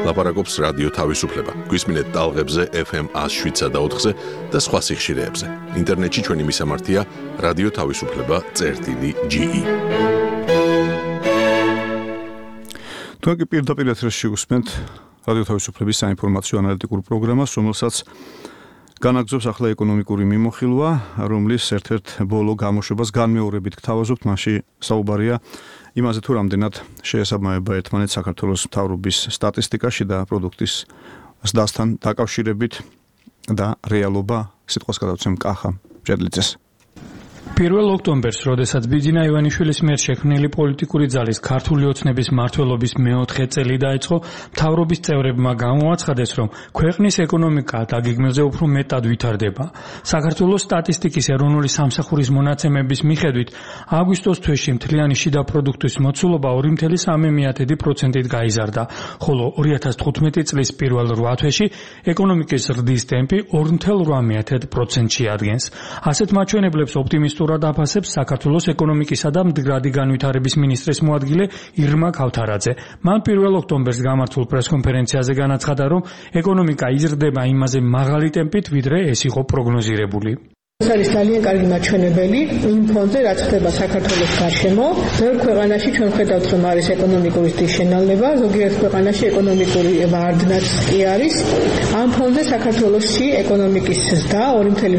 ლაპარაკობს რადიო თავისუფლება. გვისმინეთ ტალღებზე ეფ ემ ას შვიდსა და ოთხზე და სხვა სიხშირეებზე. ინტერნეტში ჩვენი მისამართია რადიო თავისუფლება წერტილი ჯი ი. თქვენ კი პირდაპირ ეთერში უსმენთ რადიო თავისუფლების საინფორმაციო ანალიტიკურ პროგრამას, რომელსაც განაგრძობს ახლა ეკონომიკური მიმოხილვა, რომლის ერთ-ერთ ბოლო გამოშვებას განმეორებით გთავაზობთ, მასში საუბარია იმაზე თუ რამდენად შეესაბამება ერთმანეთს საქართველოს მთავრობის სტატისტიკაში და პროდუქტის ზრდასთან დაკავშირებით და რეალობა სიტყვას გადავცემ კახა ჭედლიძეს. პირველ ოქტომბერს, როდესაც ბიძინა ივანიშვილის მიერ შექმნილი პოლიტიკური ძალის ქართული ოცნების მმართველობის მეოთხე წელი დაიწყო, მთავრობის წევრებმა გამოაცხადეს, რომ ქვეყნის ეკონომიკა დაგეგმილზე უფრო მეტად ვითარდება. საქართველოს სტატისტიკის ეროვნული სამსახურის მონაცემების მიხედვით, აგვისტოს თვეში მთლიანი შიდა პროდუქტის მოცულობა ორი ფاصლე სამი პროცენტით გაიზარდა, ხოლო ორი ათას თხუთმეტი წლის პირველ რვა თვეში ეკონომიკის ზრდის ტემპი ორი ფاصლე რვა პროცენტში ადგენს. ასეთ მაჩვენებლებს ოპტიმისტურ აფასებს საქართველოს ეკონომიკისა და მდგრადი განვითარების მინისტრის მოადგილე ირმა ქავთარაძე. მან პირველ ოქტომბერს გამართულ პრესკონფერენციაზე განაცხადა, რომ ეკონომიკა იზრდება იმაზე მაღალი ტემპით, ვიდრე ეს იყო პროგნოზირებული. ეს არის ძალიან კარგი მაჩვენებელი იმ ფონზე, რაც ხდება საქართველოს გარშემო. ბევრ ქვეყანაში ჩვენ ხედავთ, რომ არის ეკონომიკური შენალება, ზოგიერთ ქვეყანაში ეკონომიკური ვარდნაც კი არის. ამ ფონზე საქართველოსში ეკონომიკის ზრდა ორი წუთი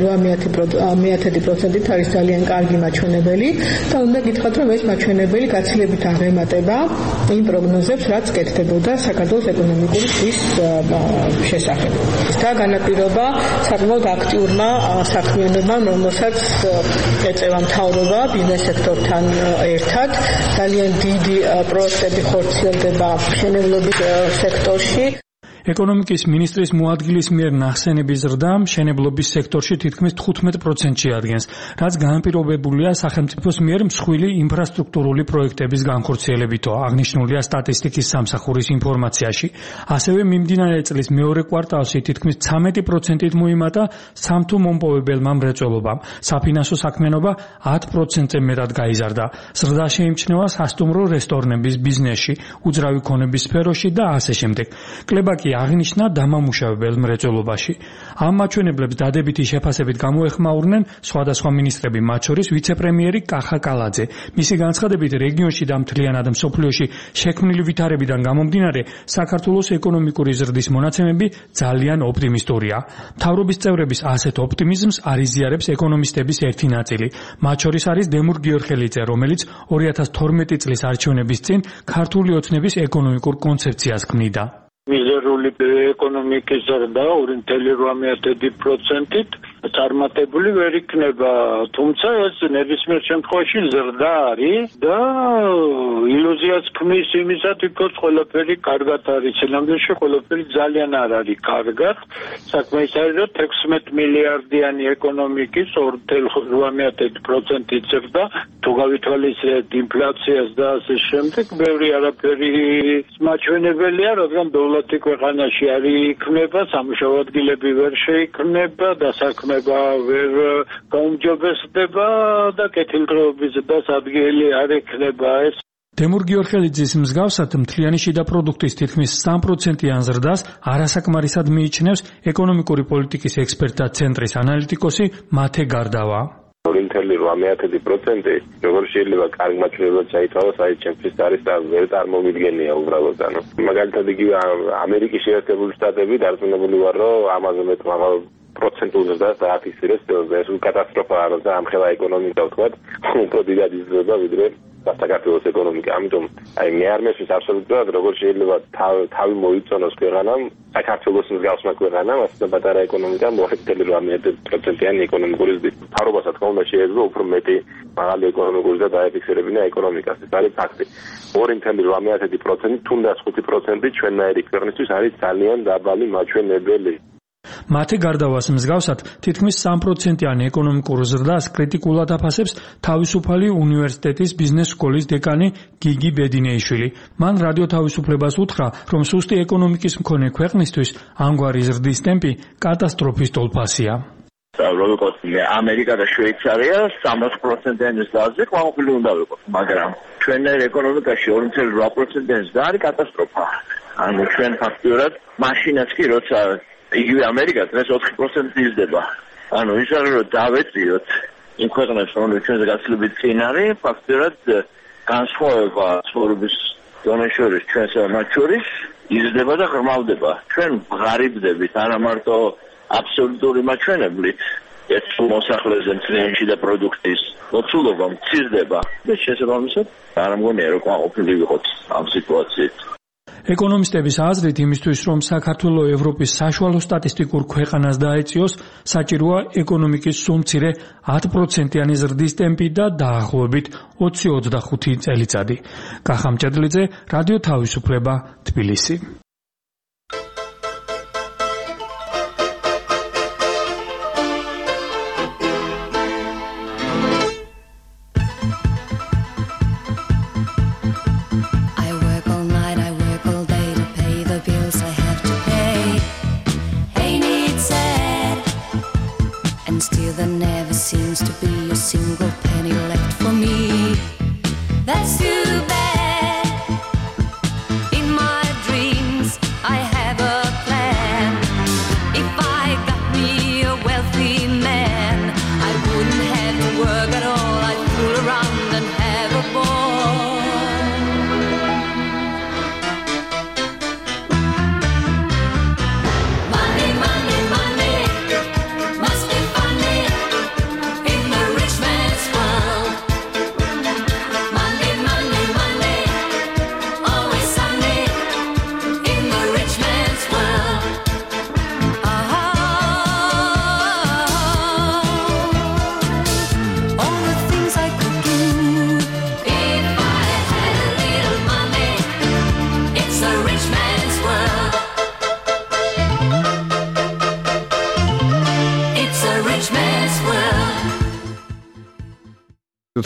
ორი პროცენტით არის ძალიან კარგი მაჩვენებელი და უნდა გითხრათ, რომ ეს მაჩვენებელი გაცილებით აღემატება იმ პროგნოზებს, რაც კეთდებოდა საქართველოს ეკონომიკური ზრდის შესახებ. და განაპირობა საკმაოდ აქტიურმა საქმიანობამ, რომელსაც ეწევა მთავრობა ბიზნეს სექტორთან ერთად. ძალიან დიდი პროექტები ხორციელდება მშენებლობის სექტორში. ეკონომიკის მინისტრის მოადგილის მიერ ნახსენების ზრდა მშენებლობის სექტორში თითქმის თხუთმეტ პროცენტს ადგენს, რაც განპირობებულია სახელმწიფოს მიერ მსხვილი ინფრასტრუქტურული პროექტების განხორციელებითო, აღნიშნულია სტატისტიკის სამსახურის ინფორმაციაში. ასევე მიმდინარე წლის მეორე კვარტალში თითქმის ცამეტი პროცენტით მოიმატა სამთო მომპოვებელმა მრეწველობამ. საფინანსო საქმიანობა ათ პროცენტზე მეტად გაიზარდა. ზრდა შეიმჩნევა სასტუმრო რესტორნების ბიზნესში, უძრავი ქონების სფეროში და ასე შემდეგ. კლებაკი აღნიშნა დამამუშავებელ მრეწველობაში. ამ მაჩვენებლებს დადებითი შეფასებით გამოეხმაურნენ სხვადასხვა მინისტრები, მათ შორის ვიცე-პრემიერი კახა კალაძე. მისი განცხადებით, რეგიონში და მთლიანად მსოფლიოში შექმნილი ვითარებიდან გამომდინარე, საქართველოს ეკონომიკური ზრდის მონაცემები ძალიან ოპტიმისტურია. მთავრობის წევრების ასეთ ოპტიმიზმს არიზიარებს ეკონომისტების ერთი ნაწილი. მათ შორის არის დემურ გიორხელიძე, რომელიც ორი ათას თორმეტი წლის არჩევნების წინ ქართული ოცნების ეკონომიკურ კონცეფციას ქმნიდა. მიზერული ეკონომიკის ზრდა ორი წუთი ორი პროცენტით წარმატებული ვერ იქნება, თუმცა ეს ნებისმიერ შემთხვევაში ზრდა არის და ილუზიას ქმნის იმისათვის, რომ ყველაფერი კარგად არის. სინამდვილეში ყველაფერი ძალიან არ არის კარგად. საქმე ის არის, რომ ექვსმეტ მილიარდიანი ეკონომიკის ორი წუთი ორი პროცენტით ზრდა, თუ გავითვალისწინებთ ინფლაციას და ასე შემდეგ, ბევრი არაფერი მაჩვენებელია, რადგან დოლარი ქვეყანაში არ იქნება, სამუშაო ადგილები ვერ შეიქმნება და საქმეება ვერ გაუმჯობესდება და კეთილდღეობის ზრდას ადგილი არ ექნება. ეს დემურ გიორხელიძის მსგავსად მთლიანი შიდა პროდუქტის თითქმის სამ პროცენტიან ზრდას არასაკმარისად მიიჩნევს ეკონომიკური პოლიტიკის ექსპერტთა ცენტრის ანალიტიკოსი მათე გარდავა. ორი წუთი ორი პროცენტი როგორ შეიძლება კარგ მაჩვენებლად ჩაითვალოს, აი ჩემთვის არის და ვერ წარმომიდგენია უბრალოდ. ანუ მაგალითად იგივე ამერიკის შეერთებული შტატები დარწმუნებული ვარ, რომ ამაზე მეტ მაღალ პროცენტულ ზრდას დააფიქსირებს. ეს კატასტროფაა, როცა ამხელა ეკონომიკა ვთქვათ, უფრო დიდად იზრდება ვიდრე საქართველოს ეკონომიკა. ამიტომ აი მე არ მესმის აბსოლუტურად როგორ შეიძლება თავი მოიწონოს ქვეყანამ, საქართველოს მსგავსმა ქვეყანამ, ასე პატარა ეკონომიკამ ორი წუთი ორი პროცენტიანი ეკონომიკური ზრდით. მთავრობასაც თქმა უნდა შეიძლება უფრო მეტი მაღალი ეკონომიკური ზრდა დაეფიქსირებინა ეკონომიკას. ეს არის ფაქტი. ორი წუთი ორი პროცენტი თუნდაც ხუთი პროცენტი ჩვენნაირი ქვეყნისთვის არის ძალიან დაბალი მაჩვენებელი. მათე გარდავას მსგავსად თითქმის სამ პროცენტიანი ეკონომიკურ ზრდას კრიტიკულად აფასებს თავისუფალი უნივერსიტეტის ბიზნეს სკოლის დეკანი გიგი ბედინეიშვილი. მან რადიო თავისუფლებას უთხრა, რომ სუსტი ეკონომიკის მქონე ქვეყნისთვის ამგვარი ზრდის ტემპი კატასტროფის ტოლფასია. როგორც ამერიკა და შვეიცარია სამას პროცენტიანი ზრდაზე ყვავილ უნდა ვიყოს, მაგრამ ჩვენერ ეკონომიკაში ორი წუთი ორი პროცენტიანი ზრდა არის კატასტროფა. ანუ ჩვენ ფაქტიურად მაშინაც კი როცა იგივე ამერიკა დღეს ოთხი პროცენტი იზრდება. ანუ ის არის რომ დავეწიოთ იმ ქვეყნებს, რომლებიც ჩვენზე გაცილებით წინ არის, ფაქტიურად განსხვავება ცხოვრების დონეს შორის ჩვენსა და მათ შორის იზრდება და ღრმავდება. ჩვენ ღარიბდებით არა მარტო აბსოლუტური მაჩვენებლით, ეს მოსახლეზე მთლიანში და პროდუქტის მოცულობა მცირდება და შესაბამისად არ მგონია რომ ყოფილი ვიყოთ ამ სიტუაციით. ეკონომისტების აზრით, იმისთვის რომ საქართველოს ევროპის საშუალო სტატისტიკურ ქვეყანას დაეწიოს, საჭიროა ეკონომიკის სულ მცირე ათ პროცენტიანი ზრდის ტემპი და დაახლოებით ოცი ოცდახუთი წელიწადი. კახა მჭედლიძე, რადიო თავისუფლება, თბილისი. I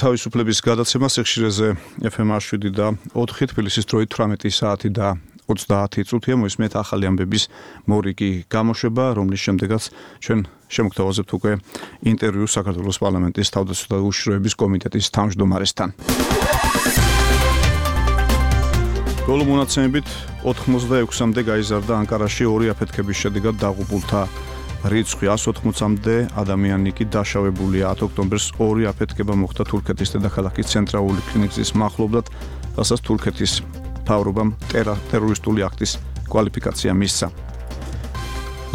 თავისუფლების გადაცემა სიხშირეზე ეფ ემ შვიდი და ოთხი თბილისის დროით თვრამეტი საათი და ოცდაათი წუთია მოისმენთ ახალი ამბების მორიგი გამოშვება, რომლის შემდეგაც ჩვენ შემოგთავაზებთ უკვე ინტერვიუ საქართველოს პარლამენტის თავდაცვითი უშიშროების კომიტეტის თავმჯდომარესთან. ბოლო მონაცემებით ოთხმოცდაექვსამდე გაიზარდა ანკარაში ორი აფეთქების შედეგად დაღუპულთა რიცხვი ას ოთხმოცამდე ადამიანი კი დაშავებულია. ათ ოქტომბერს ორი აფეთქება მოხდა თურქეთის დედაქალაქის ცენტრალური კლინიკის მახლობლად, რასაც თურქეთის მთავრობამ ტერორისტული აქტის კვალიფიკაცია მისცა.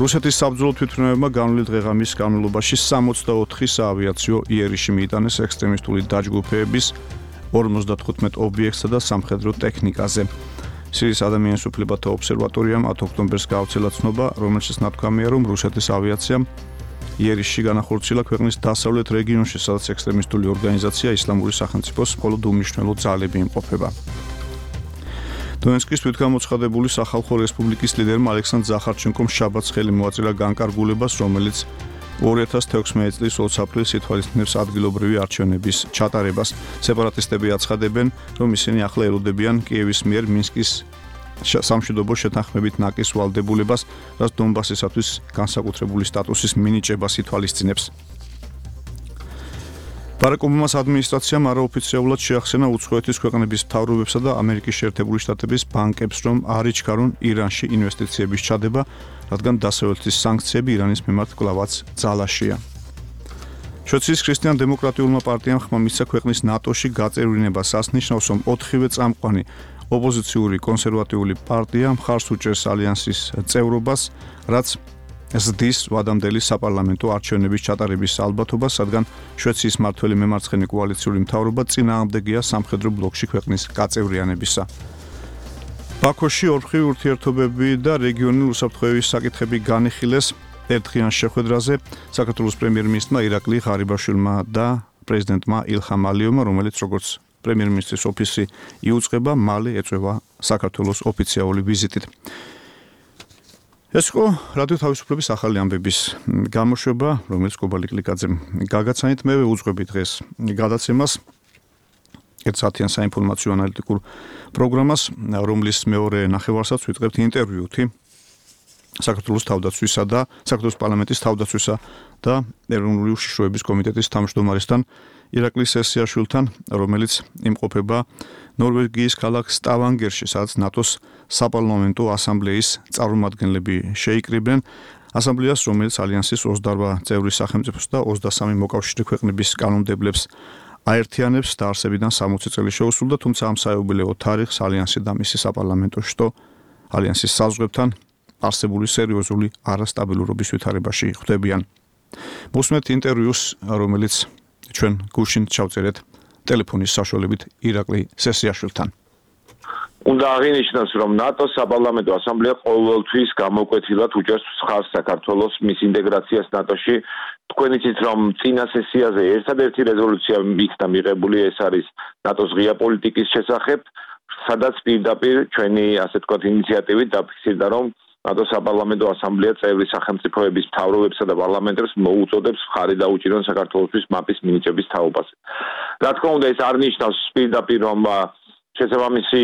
რუსეთის საბრძოლო თვითმფრინავებმა განვლილ დღეღამის განმავლობაში სამოცდაოთხი საავიაციო იერიში მიიტანეს ექსტრემისტული დაჯგუფების ორმოცდათხუთმეტ ობიექტსა და სამხედრო ტექნიკაზე. სირიის ადამიანის უფლებათა ობსერვატორიამ ათ ოქტომბერს გაავრცელა ცნობა, რომელშიც ნათქვამია, რომ რუსეთის ავიაციამ იერიში განახორციელა ქვეყნის დასავლეთ რეგიონში, სადაც ექსტრემისტული ორგანიზაცია ისლამური სახელმწიფოს მხოლოდ უმნიშვნელო ძალები იმყოფება. დონეცკის თვითგამოცხადებული სახალხო რესპუბლიკის ლიდერმა ალექსანდრ ზახარჩენკომ შაბათს ხელი მოაწერა განკარგულებას, რომელიც ორი ათას თექვსმეტი წლის ოც აპრილს ითვალისწინებს ადგილობრივი არჩევნების ჩატარებას. სეპარატისტები აცხადებენ, რომ ისინი ახლა ელოდებიან კიევის მიერ მინსკის სამშვიდობო შეთანხმებით ნაკის ვალდებულებას, რაც დონბასისათვის განსაკუთრებული სტატუსის მინიჭებას ითვალისწინებს. ბარაკ ობამას ადმინისტრაციამ არაოფიციალურად შეახსენა უცხოეთის ქვეყნების მთავრობებსა და ამერიკის შეერთებული შტატების ბანკებს, რომ არ იჩქარონ ირანში ინვესტიციების ჩადება, რადგან დასავლეთის სანქციები ირანის მიმართ კვლავაც ძალაშია. შვეიცარიის ქრისტიან-დემოკრატიულმა პარტიამ ხმა მისცა ქვეყნის ნატოში გაწევრიანებას. ასნიშნავს, რომ ოთხივე წამყვანი ოპოზიციური კონსერვატიული პარტია მხარს უჭერს ალიანსის წევრობას, რაც ზრდის ვადამდელი საპარლამენტო არჩევნების ჩატარების ალბათობას, რადგან შვეიცარიის მმართველი მემარცხენე კოალიციური მთავრობა წინააღმდეგია სამხედრო ბლოკში ქვეყნის გაწევრიანებისა. ბაქოში ორმხრივი ურთიერთობები და რეგიონული უსაფრთხოების საკითხები განიხილეს ერთდღიან შეხვედრაზე საქართველოს პრემიერ-მინისტრმა ირაკლი ღარიბაშვილმა და პრეზიდენტმა ილჰამ ალიევმა, რომელიც როგორც პრემიერ-მინისტრის ოფისი იუწყება, მალე ეწევა საქართველოს ოფიციალური ვიზიტით. ეს იყო რადიო თავისუფლების ახალი ამბების გამოშვება, რომელიც კობალი კლიკაძემ გაგაცანით. მე ვუძღვები დღეს გადაცემას ერთ საათიან საინფორმაციო ანალიტიკურ პროგრამას, რომლის მეორე ნახევარსაც ვიტყებთ ინტერვიუთი საქართველოს თავდაცვისა და საქართველოს პარლამენტის თავდაცვისა და ეროვნული უშიშროების კომიტეტის თავმჯდომარესთან ირაკლი სესიაშვილთან, რომელიც იმყოფება ნორვეგიის ქალაქ სტავანგერში, სადაც ნატოს საპარლამენტო ასამბლეის წარმომადგენლები შეიკრიბნენ. ასამბლეას, რომელიც ალიანსის ოცდაორ წევრი სახელმწიფოს და ოცდასამი მოკავშირე ქვეყნების კანონმდებლებს აერთიანებს, დაარსებიდან სამოცი წელი შეუსრულდა, თუმცა ამ საიუბილეო თარიღს ალიანსი და მისი საპარლამენტო შტო ალიანსის საზღვრებთან არსებული სერიოზული არასტაბილურობის ვითარებაში ხვდებიან. მოსმენთ ინტერვიუს, რომელიც ჩვენ გუშინ ჩავწერეთ ტელეფონის საშუალებით ირაკლი სესიაშვილთან. უნდა აღინიშნოს, რომ ნატოს საპარლამენტო ასამბლეა ყოველთვის გამოკვეთილად უჭერს ხარს საქართველოს მის ინტეგრაციას ნატოში. თქვენ იცით, რომ წინა სესიაზე ერთადერთი რეზოლუცია იქნა მიღებული, ეს არის ნატოს ღია პოლიტიკის შესახებ, სადაც პირდაპირ ჩვენი ასე ვთქვათ ინიციატივით დაფიქსირდა, რომ ნატოს საპარლამენტო ასამბლეა წევრი სახელმწიფოების მთავრობებსა და პარლამენტებს მოუწოდებს მხარი დაუჭირონ საქართველოსთვის მაპის მინიჭების თაობაზე. რა თქმა უნდა, ეს არ ნიშნავს პირდაპირ, რომ შესაბამისი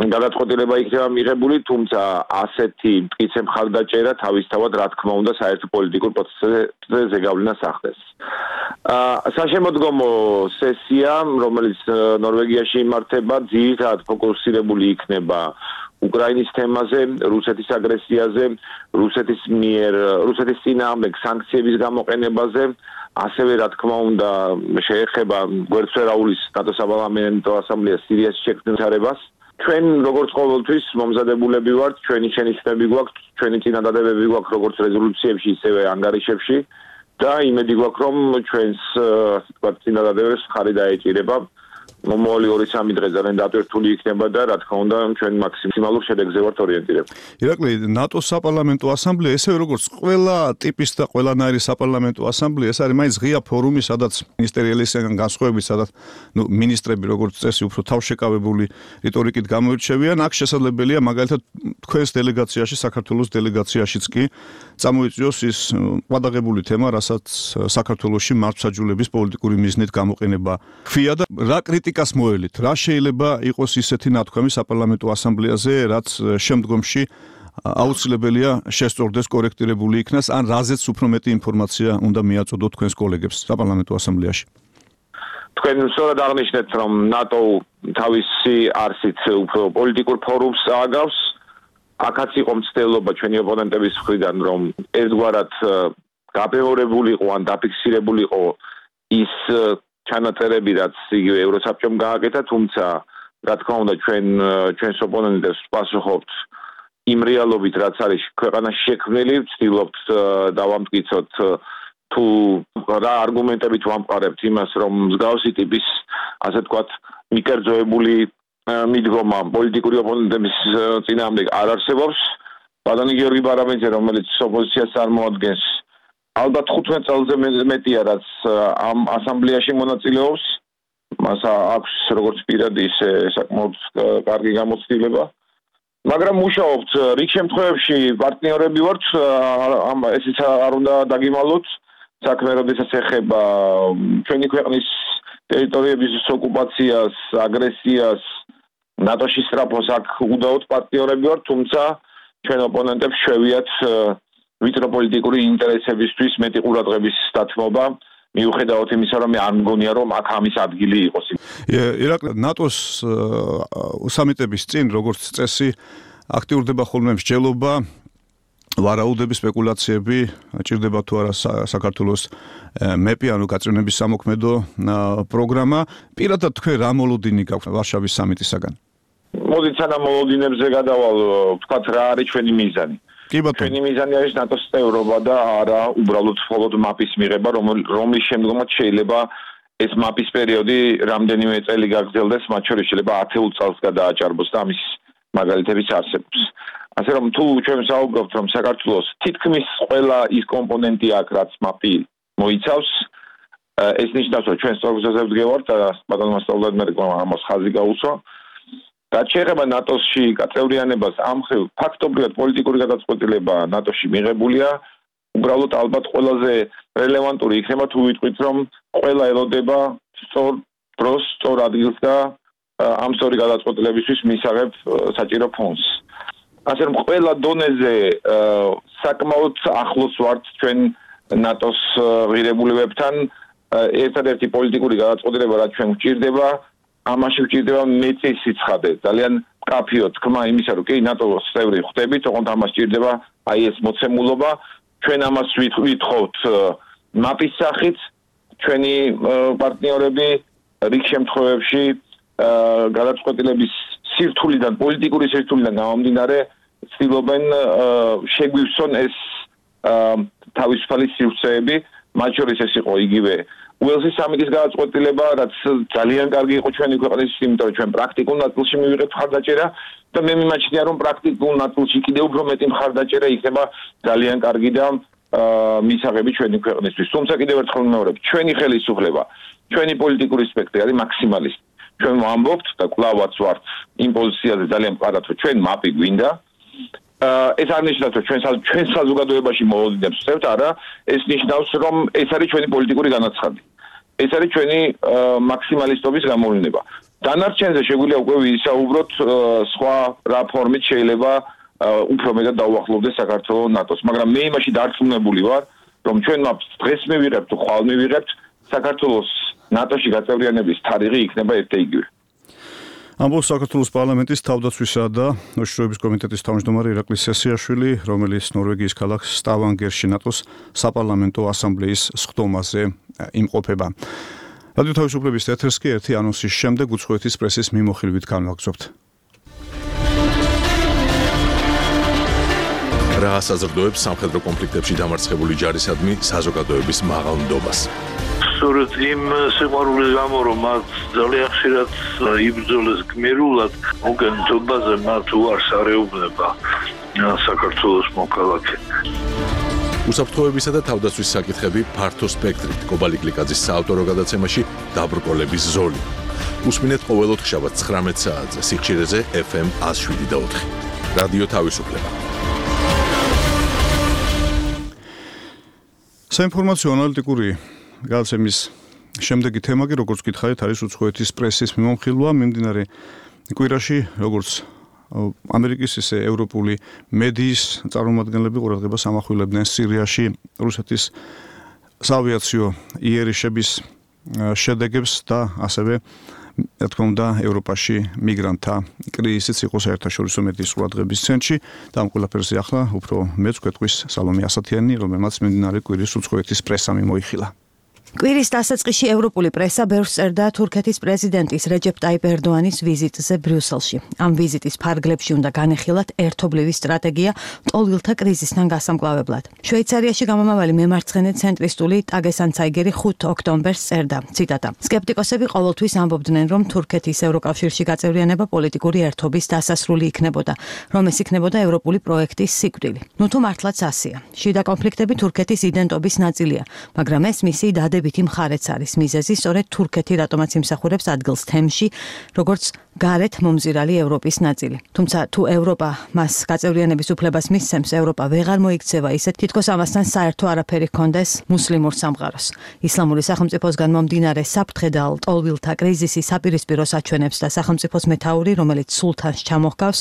გადაწყვეტილება იქნება მიღებული, თუმცა ასეთი მტკიცე მხარდაჭერა თავისთავად, რა თქმა უნდა, საერთო პოლიტიკურ პროცესზე ზეგავლენას ახდენს. საშემოდგომო სესია, რომელიც ნორვეგიაში იმართება, ძირითადად ფოკუსირებული იქნება უკრაინის თემაზე, რუსეთის აგრესიაზე, რუსეთის მიერ, რუსეთის წინააღმდეგ სანქციების გამოყენებაზე, ასევე რა თქმა უნდა, შეეხება გვერდსვერაულის ნატოს საპარლამენტო ასამბლეას სირიაში შექმნილებას. ჩვენ როგორც ყოველთვის მომზადებულები ვართ, ჩვენი შენიშვნები გვაქვს, ჩვენი წინადადებები გვაქვს როგორც რეზოლუციებში, ისევე ანგარიშებში და იმედი გვაქვს, რომ ჩვენს ასე ვთქვათ წინადადებებს ხარი დაეჭირება მომავალი ორი სამი დღე ძალიან დატვირთული იქნება და რა თქმა უნდა ჩვენ მაქსიმალურ შედეგზე ვართ ორიენტირებული. ირაკლი, ნატოს საპარლამენტო ასამბლეა, ესე როგორც ყველა ტიპის და ყველანაირი საპარლამენტო ასამბლეა, ეს არის მაინც ღია ფორუმი, სადაც მინისტერიალისგან განსხვავებით, სადაც ნუ მინისტრები როგორც წესი უფრო თავშეკავებული რიტორიკით გამოირჩევიან, აქ შესაძლებელია მაგალითად თქვენს დელეგაციაში, საქართველოს დელეგაციაშიც კი წამოიწვიოს ის ყადაღებული თემა, რასაც საქართველოში მართლმსაჯულების პოლიტიკური მიზნით გამოყენება ხვია და რა კრიტიკას მოელით, რა შეიძლება იყოს ისეთი ნათქვამი საპარლამენტო ასამბლეაზე, რაც შემდგომში აუცილებელია შესწორდეს, კორექტირებული იქნას, ან რაზეც უფრო მეტი ინფორმაცია უნდა მიაწოდოთ თქვენს კოლეგებს საპარლამენტო ასამბლეაში. თქვენ სწორად აღნიშნეთ, რომ ნატო თავისი არსით უფრო პოლიტიკურ ფორუმს ააგავს. აქაც იყო მცდელობა ჩვენი ოპონენტების მხრიდან, რომ ერთგვარად გაბეორებული იყო ან დაფიქსირებული იყო ის ჩანაწერები, რაც იგივე ევროსაბჭომ გააკეთა, თუმცა რა თქმა უნდა ჩვენ ჩვენს ოპონენტებს ვპასუხობთ იმ რეალობით, რაც არის ქვეყანაში შექმნილი, ვცდილობთ დავამტკიცოთ თუ რა არგუმენტებით ვამყარებთ იმას, რომ მსგავსი ტიპის, ასე ვთქვათ, მიკერძოებული მიდგომა პოლიტიკური ოპონენტების წინააღმდეგ არ არსებობს. ბატონი გიორგი ბარაბანიძე, რომელიც ოპოზიციას წარმოადგენს, ალბათ ხუთმეტ წელზე მეტია, რაც ამ ასამბლეაში მონაწილეობს. მას აქვს როგორც პირადი, ისე საკმაოდ კარგი გამოცდილება. მაგრამ მუშაობთ რიგ შემთხვევებში პარტნიორები ვართ, ამ ესეც არ უნდა დაგიმალოთ. საქმე როდესაც ეხება ჩვენი ქვეყნის ტერიტორიების ოკუპაციას, აგრესიას, ნატოში სწრაფოს აქ უდაოდ პარტნიორები ვართ, თუმცა ჩვენ ოპონენტებს შევიათ ვიწრო პოლიტიკური ინტერესებისთვის მეტი ყურადღების დათმობა, მიუხედავად იმისა, რომ არ მგონია, რომ აქ ამის ადგილი იყოს. ირაკლი, ნატოს სამიტების წინ, როგორც წესი, აქტიურდება ხოლმე მსჯელობა, ვარაუდები, სპეკულაციები, ჭირდება თუ არა საქართველოს მეპი, ანუ გაწევნების სამოქმედო პროგრამა. პირადად თქვენ რა მოლოდინი გაქვთ ვარშავის სამიტისაგან? მოდით სანამ მოლოდინებზე გადავალ, ვთქვათ რა არის ჩვენი მიზანი. ჩვენი მიზანი არის ნატოს წევრობა და არა უბრალოდ მხოლოდ მაპის მიღება, რომლის შემდგომაც შეიძლება ეს მაპის პერიოდი რამდენიმე წელი გაგრძელდეს, მათ შორის შეიძლება ათეულ წელს გადააჭარბოს და ამის მაგალითებიც არსებობს. ასე რომ თუ ჩვენ ვსაუბრობთ, რომ საქართველოს თითქმის ყველა ის კომპონენტი აქვს, რაც მაპი მოიცავს, ეს ნიშნავს, რომ ჩვენ სწორგზაზე ვდგევართ და ბატონმა სტოლდენბერგმა ამას ხაზი გაუსვა. რაც შეეხება ნატოსში გაწევრიანებას, ამ მხრივ ფაქტობრივად პოლიტიკური გადაწყვეტილება ნატოში მიღებულია, უბრალოდ ალბათ ყველაზე რელევანტური იქნება თუ ვიტყვით, რომ ყველა ელოდება სწორ დროს, სწორ ადგილს და ამ სწორი გადაწყვეტილებისთვის მისაღებ საჭირო ფონდს. ასე რომ ყველა დონეზე საკმაოდ ახლოს ვართ ჩვენ ნატოს ღირებულებებთან. ერთადერთი პოლიტიკური გადაწყვეტილება, რაც ჩვენ გვჭირდება, ამაში გვჭირდება მეტი სიცხადე, ძალიან მკაფიო თქმა იმისა, რომ კი ნატოს წევრი ხდებით, თუმცა ამას ჭირდება აი ეს მოცემულობა. ჩვენ ამას ვითხოვთ მაპის სახით, ჩვენი პარტნიორები რიგ შემთხვევებში გადაწყვეტილების სირთულიდან, პოლიტიკური სირთულიდან გამომდინარე, ცდილობენ შეგვივსონ ეს თავისუფალი სივრცეები, მათ შორის ეს იყო იგივე უელსის სამიტის გადაწყვეტილება, რაც ძალიან კარგი იყო ჩვენი ქვეყნის, იმიტომ რომ ჩვენ პრაქტიკულ ნაწილში მივიღებთ მხარდაჭერა და მე მიმაჩნია, რომ პრაქტიკულ ნაწილში კიდევ უფრო მეტი მხარდაჭერა იქნება ძალიან კარგი და მისაღები ჩვენი ქვეყნისთვის. თუმცა კიდევ ერთხელ ვიმეორებ, ჩვენი ხელისუფლება, ჩვენი პოლიტიკური სპექტრი არის მაქსიმალისტი. ჩვენ ვამბობთ და კვლავაც ვართ იმ პოზიციაზე ძალიან მყარად, რომ ჩვენ მაპი გვინდა. ეს არ ნიშნავს, რომ ჩვენ ჩვენ საზოგადოებაში მოვოდინებს ვსწრებთ, არა, ეს ნიშნავს, რომ ეს არის ჩვენი პოლიტიკური განაცხადი. ეს არის ჩვენი მაქსიმალისტობის გამოვლინება. დანარჩენზე შეგვიძლია უკვე ვისაუბროთ სხვა რა ფორმით შეიძლება უფრო მეტად დაუახლოვდეს საქართველოს ნატოს, მაგრამ მე იმაში დარწმუნებული ვარ, რომ ჩვენ მაპს დღეს მივიღებთ თუ ხვალ მივიღებთ, საქართველოს ნატოში გაწევრიანების თარიღი იქნება ერთეიგივე. ამბობს საქართველოს პარლამენტის თავდაცვისა და უშიშროების კომიტეტის თავმჯდომარე ირაკლი სესიაშვილი, რომელიც ნორვეგიის ქალაქ სტავანგერში ნატოს საპარლამენტო ასამბლეის სხდომაზე იმყოფება. რადიო თავისუფლების ეთერს კი ერთი ანონსის შემდეგ უცხოეთის პრესის მიმოხილვით განვაგრძობთ. რა საზრდოებს სამხედრო კონფლიქტებში დამარცხებული ჯარისადმი საზოგადოების მაღალ ნდობას. სწორედ იმ სიყვარულის გამო, რომ მათ ძალიან ხშირად იბრძოლეს გმირულად, მოგენთობაზე მათ უარს არეუბნება საქართველოს მოქალაქე. უსაფრთხოებისა და თავდაცვის საკითხები ფართო სპექტრით კობალი გლიკაძის საავტორო გადაცემაში დაბრკოლების ზოლი. უსმინეთ ყოველ ოთხშაბათს ცხრამეტ საათზე სიხშირეზე ეფ ემ ათს შვიდი და ოთხი. რადიო თავისუფლება. საინფორმაციო ანალიტიკური გადაცემის შემდეგი თემაგი, როგორც გითხარით, არის უცხოეთის პრესის მიმოხილვა მიმდინარე კვირაში, როგორც ამერიკის ისე ევროპული მედიის წარმომადგენლები ყურადღებას ამახვილებდნენ სირიაში რუსეთის საავიაციო იერიშების შედეგებს და ასევე რა თქმა უნდა ევროპაში მიგრანტთა კრიზისიც იყო საერთაშორისო მედიის ყურადღების ცენტრში და ამ ყველაფერზე ახლა უფრო მეც გვეტყვის სალომე ასათიანი, რომელმაც მიმდინარე კვირის უცხოეთის პრესა მიმოიხილა. კვირის დასაწყისში ევროპული პრესა ბევრს წერდა თურქეთის პრეზიდენტის რეჯეპ ტაიპ ერდოანის ვიზიტზე ბრიუსელში. ამ ვიზიტის ფარგლებში უნდა განეხილათ ერთობლივი სტრატეგია ტოლვილთა კრიზისთან გასამკლავებლად. შვეიცარიაში გამომავალი მემარცხენე ცენტრისტული ტაგესანცაიგერი ხუთ ოქტომბერს წერდა, ციტატა: სკეპტიკოსები ყოველთვის ამბობდნენ, რომ თურქეთის ევროკავშირში გაწევრიანება პოლიტიკური ერთობის დასასრული იქნებოდა, რომ ეს იქნებოდა ევროპული პროექტის სიკვდილი. ნუ თუ მართლაც ასეა. შიდა კონფლიქტები თურქეთის იდენტობის ნაწილია, მაგრამ ეს მისი დადებითი მხარეც არის. მიზეზი სწორედ თურქეთი რატომაც იმსახურებს ადგილს თემში, როგორც გარეთ მომზირალი ევროპის ნაწილი. თუმცა თუ ევროპა მას გაწევრიანების უფლებას მისცემს, ევროპა ვეღარ მოიქცევა ისე, თითქოს ამასთან საერთო არაფერი ჰქონდეს მუსლიმურ სამყაროს. ისლამური სახელმწიფოსგან მომდინარე საფრთხედალ ტოლვილთა კრიზისი საპირისპირო საჩვენებს და სახელმწიფოს მეთაური, რომელიც სულთანს ჩამოჰგავს,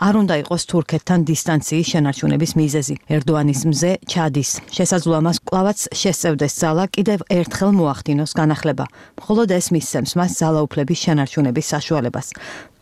არ უნდა იყოს თურქეთთან დისტანციის შენარჩუნების მიზეზი. ერდოანის მზე ჩადის. შესაძლოა მას კვლავაც შესწევდეს ძალა კიდევ ერთხელ მოახდინოს განახლება. მხოლოდ ეს მისცემს მას ძალაუფლების შენარჩუნების საშუალებას.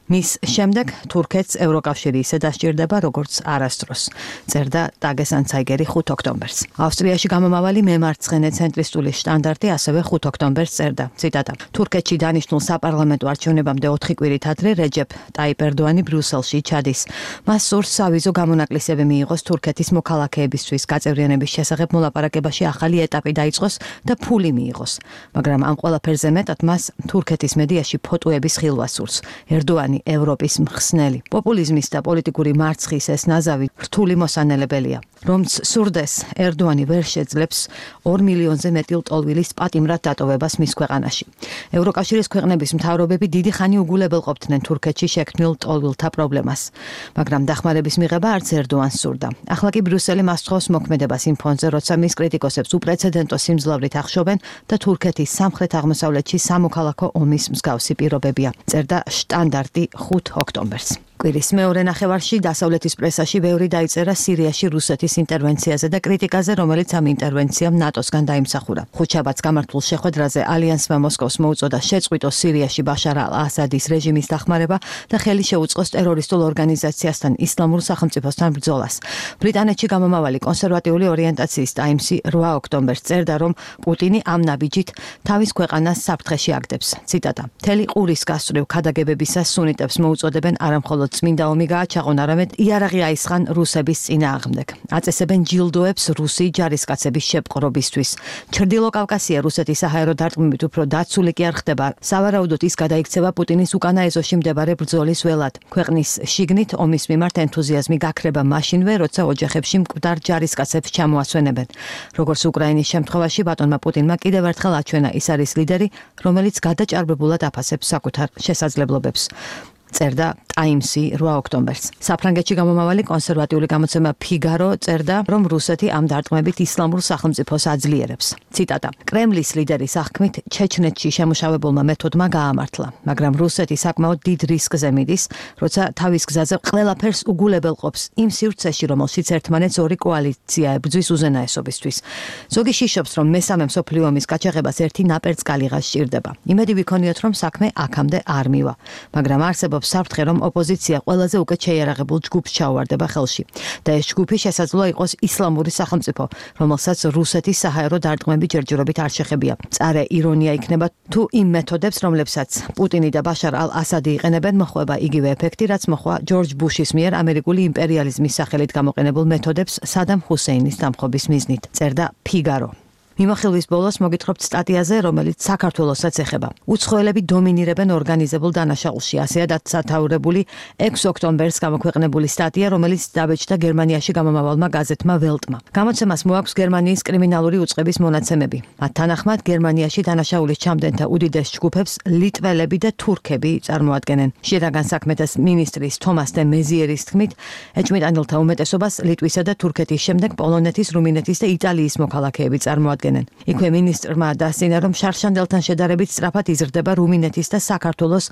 მის შემდეგ თურქეთს ევროკავშირი ისე დასჭირდება, როგორც არასდროს, წერდა ტაგესანცაიგერი ხუთ ოქტომბერს. ავსტრიაში გამომავალი მემარცხენე ცენტრისტული შტანდარტი ასევე ხუთ ოქტომბერს წერდა, ციტატა: თურქეთში დანიშნულ საპარლამენტო არჩევნებამდე ოთხი კვირით ადრე რეჯეპ ტაიპ ერდოანი ბრიუსელში ჩადის. მას სურს სავიზო გამონაკლისები მიიღოს თურქეთის მოქალაქეებისთვის გაწევრიანების შესახებ მოლაპარაკებაში ახალი ეტაპი დაიწყოს და ფული მიიღოს. მაგრამ ამ ყველაფერზე მეტად მას თურქეთის მედიაში ფოტოების ხილვა სურს. ერდოანი ევროპის მხსნელი. პოპულიზმის და პოლიტიკური მარცხის ეს ნაზავი რთული მოსანელებელია. რომც სურდეს, ერდოანი ვერ შეძლებს ორ მილიონზე მეტი ლტოლვილის პატიმრად დატოვებას მის ქვეყანაში. ევროკავშირის ქვეყნების მთავრობები დიდი ხანი უგულებელყოფდნენ თურქეთში შექმნილ ლტოლვილთა პრობლემას, მაგრამ დახმარების მიღება არც ერდოანს სურდა. ახლა კი ბრიუსელი მას თხოვს მოქმედებას იმ ფონზე, როცა მის კრიტიკოსებს უპრეცედენტო სიმძლავრით ახშობენ და თურქეთის სამხრეთ აღმოსავლეთში სამოქალაქო ომის მსგავსი პირობებია, წერდა შტანდარტი ხუთ ოქტომბერს. კვირის მეორე ნახევარში დასავლეთის პრესაში ბევრი დაიწერა სირიაში რუსეთის ინტერვენციაზე და კრიტიკაზე, რომელიც ამ ინტერვენციამ ნატოსგან დაიმსახურა. ხუთშაბათს გამართულ შეხვედრაზე ალიანსმა მოსკოვს მოუწოდა შეწყვიტოს სირიაში ბაშარ ალ-ასადის რეჟიმის დახმარება და ხელი შეუწყოს ტერორისტულ ორგანიზაციასთან ისლამურ სახელმწიფოსთან ბრძოლას. ბრიტანეთში გამომავალი კონსერვატიული ორიენტაციის ტაიმსი რვა ოქტომბერს წერდა, რომ პუტინი ამ ნაბიჯით თავის ქვეყანას საფრთხეში აგდებს. ციტატა: მთელი ყურის გასწვრივ ქადაგებებისას სუნიტებს მოუწოდებენ არამხოლოდ წმინდა ომი გააჩაღონ, არამედ იარაღი აისხან რუსების წინააღმდეგ. აწესებენ ჯილდოებს რუსი ჯარისკაცების შეპყრობისთვის. ჩრდილო კავკასია რუსეთის საჰაერო დარტყმებით უფრო დაცული კი არ ხდება. სავარაუდოდ ის გადაიქცევა პუტინის უკანა ეზოში მდებარე ბრძოლის ველად. ქვეყნის შიგნით ომის მიმართ ენთუზიაზმი გაქრება მაშინვე, როცა ოჯახებში მკვდარ ჯარისკაცებს ჩამოასვენებენ. როგორც უკრაინის შემთხვევაში, ბატონმა პუტინმა კიდევ ერთხელ აჩვენა, ის არის ლიდერი, რომელიც გადაჭარბებულად აფასებს საკუთარ შესაძლებლობებს. წერდა ტაიმსი რვა ოქტომბერს. საფრანგეთში გამომავალი კონსერვატიული გამოცემა ფიგარო წერდა, რომ რუსეთი ამ დარტყმებით ისლამურ სახელმწიფოს აძლიერებს. ციტატა: კრემლის ლიდერის აღქმით ჩეჩნეთში შემუშავებულმა მეთოდმა გაამართლა, მაგრამ რუსეთი საკმაოდ დიდ რისკზე მიდის, როცა თავის გზაზე ყველაფერს უგულებელყოფს იმ სივრცეში, რომელშიც ერთმანეთს ორი კოალიცია ებრძვის უზენაესობისთვის. ზოგი შიშობს, რომ მესამე მსოფლიო ომის გაჩაღებას ერთი ნაპერწკალიღა სჭირდება. იმედი ვიქონიოთ, რომ საქმე აქამდე არ მივა, მაგრამ არსებობს საფრთხე, რომ ოპოზიცია ყველაზე უკეთ შეიარაღებულ ჯგუფს ჩაუვარდება ხელში და ეს ჯგუფი შესაძლოა იყოს ისლამური სახელმწიფო, რომელსაც რუსეთის საჰაერო დარტყმები ჯერჯერობით არ შეხებია. მწარე ირონია იქნება, თუ იმ მეთოდებს, რომლებსაც პუტინი და ბაშარ ალ-ასადი იყენებენ, მოხვება იგივე ეფექტი, რაც მოხდა ჯორჯ ბუშის მიერ ამერიკული იმპერიალიზმის სახელით გამოყენებულ მეთოდებს სადამ ჰუსეინის დამხობის მიზნით, წერდა ფიგარო. მიმოხილვის ბოლოს მოგითხრობთ სტატიაზე, რომელიც საქართველოსაც ეხება. უცხოელები დომინირებენ ორგანიზებულ დანაშაულში, ასეა დაცათაურებული ექვსი ოქტომბერს გამოქვეყნებული სტატია, რომელიც დაბეჭდა გერმანიაში გამომავალმა გაზეთმა ველტმა. გამოცემას მოაქვს გერმანიის კრიმინალური უწყების მონაცემები. მათ თანახმად გერმანიაში დანაშაულის ჩამდენთა უდიდეს ჯგუფებს ლიტველები და თურქები წარმოადგენენ. შინაგან საქმეთა მინისტრის თომას დე მეზიერის თქმით, ეჭვმიტანილთა უმეტესობას ლიტვისა და თურქეთის შემდეგ პოლონეთის, რუმინეთის და იტალიის მოქალაქეები წარმოადგენენ. იქვე მინისტრმა დასცინა, რომ შარშანდელთან შედარებით სწრაფად იზრდება რუმინეთის და საქართველოს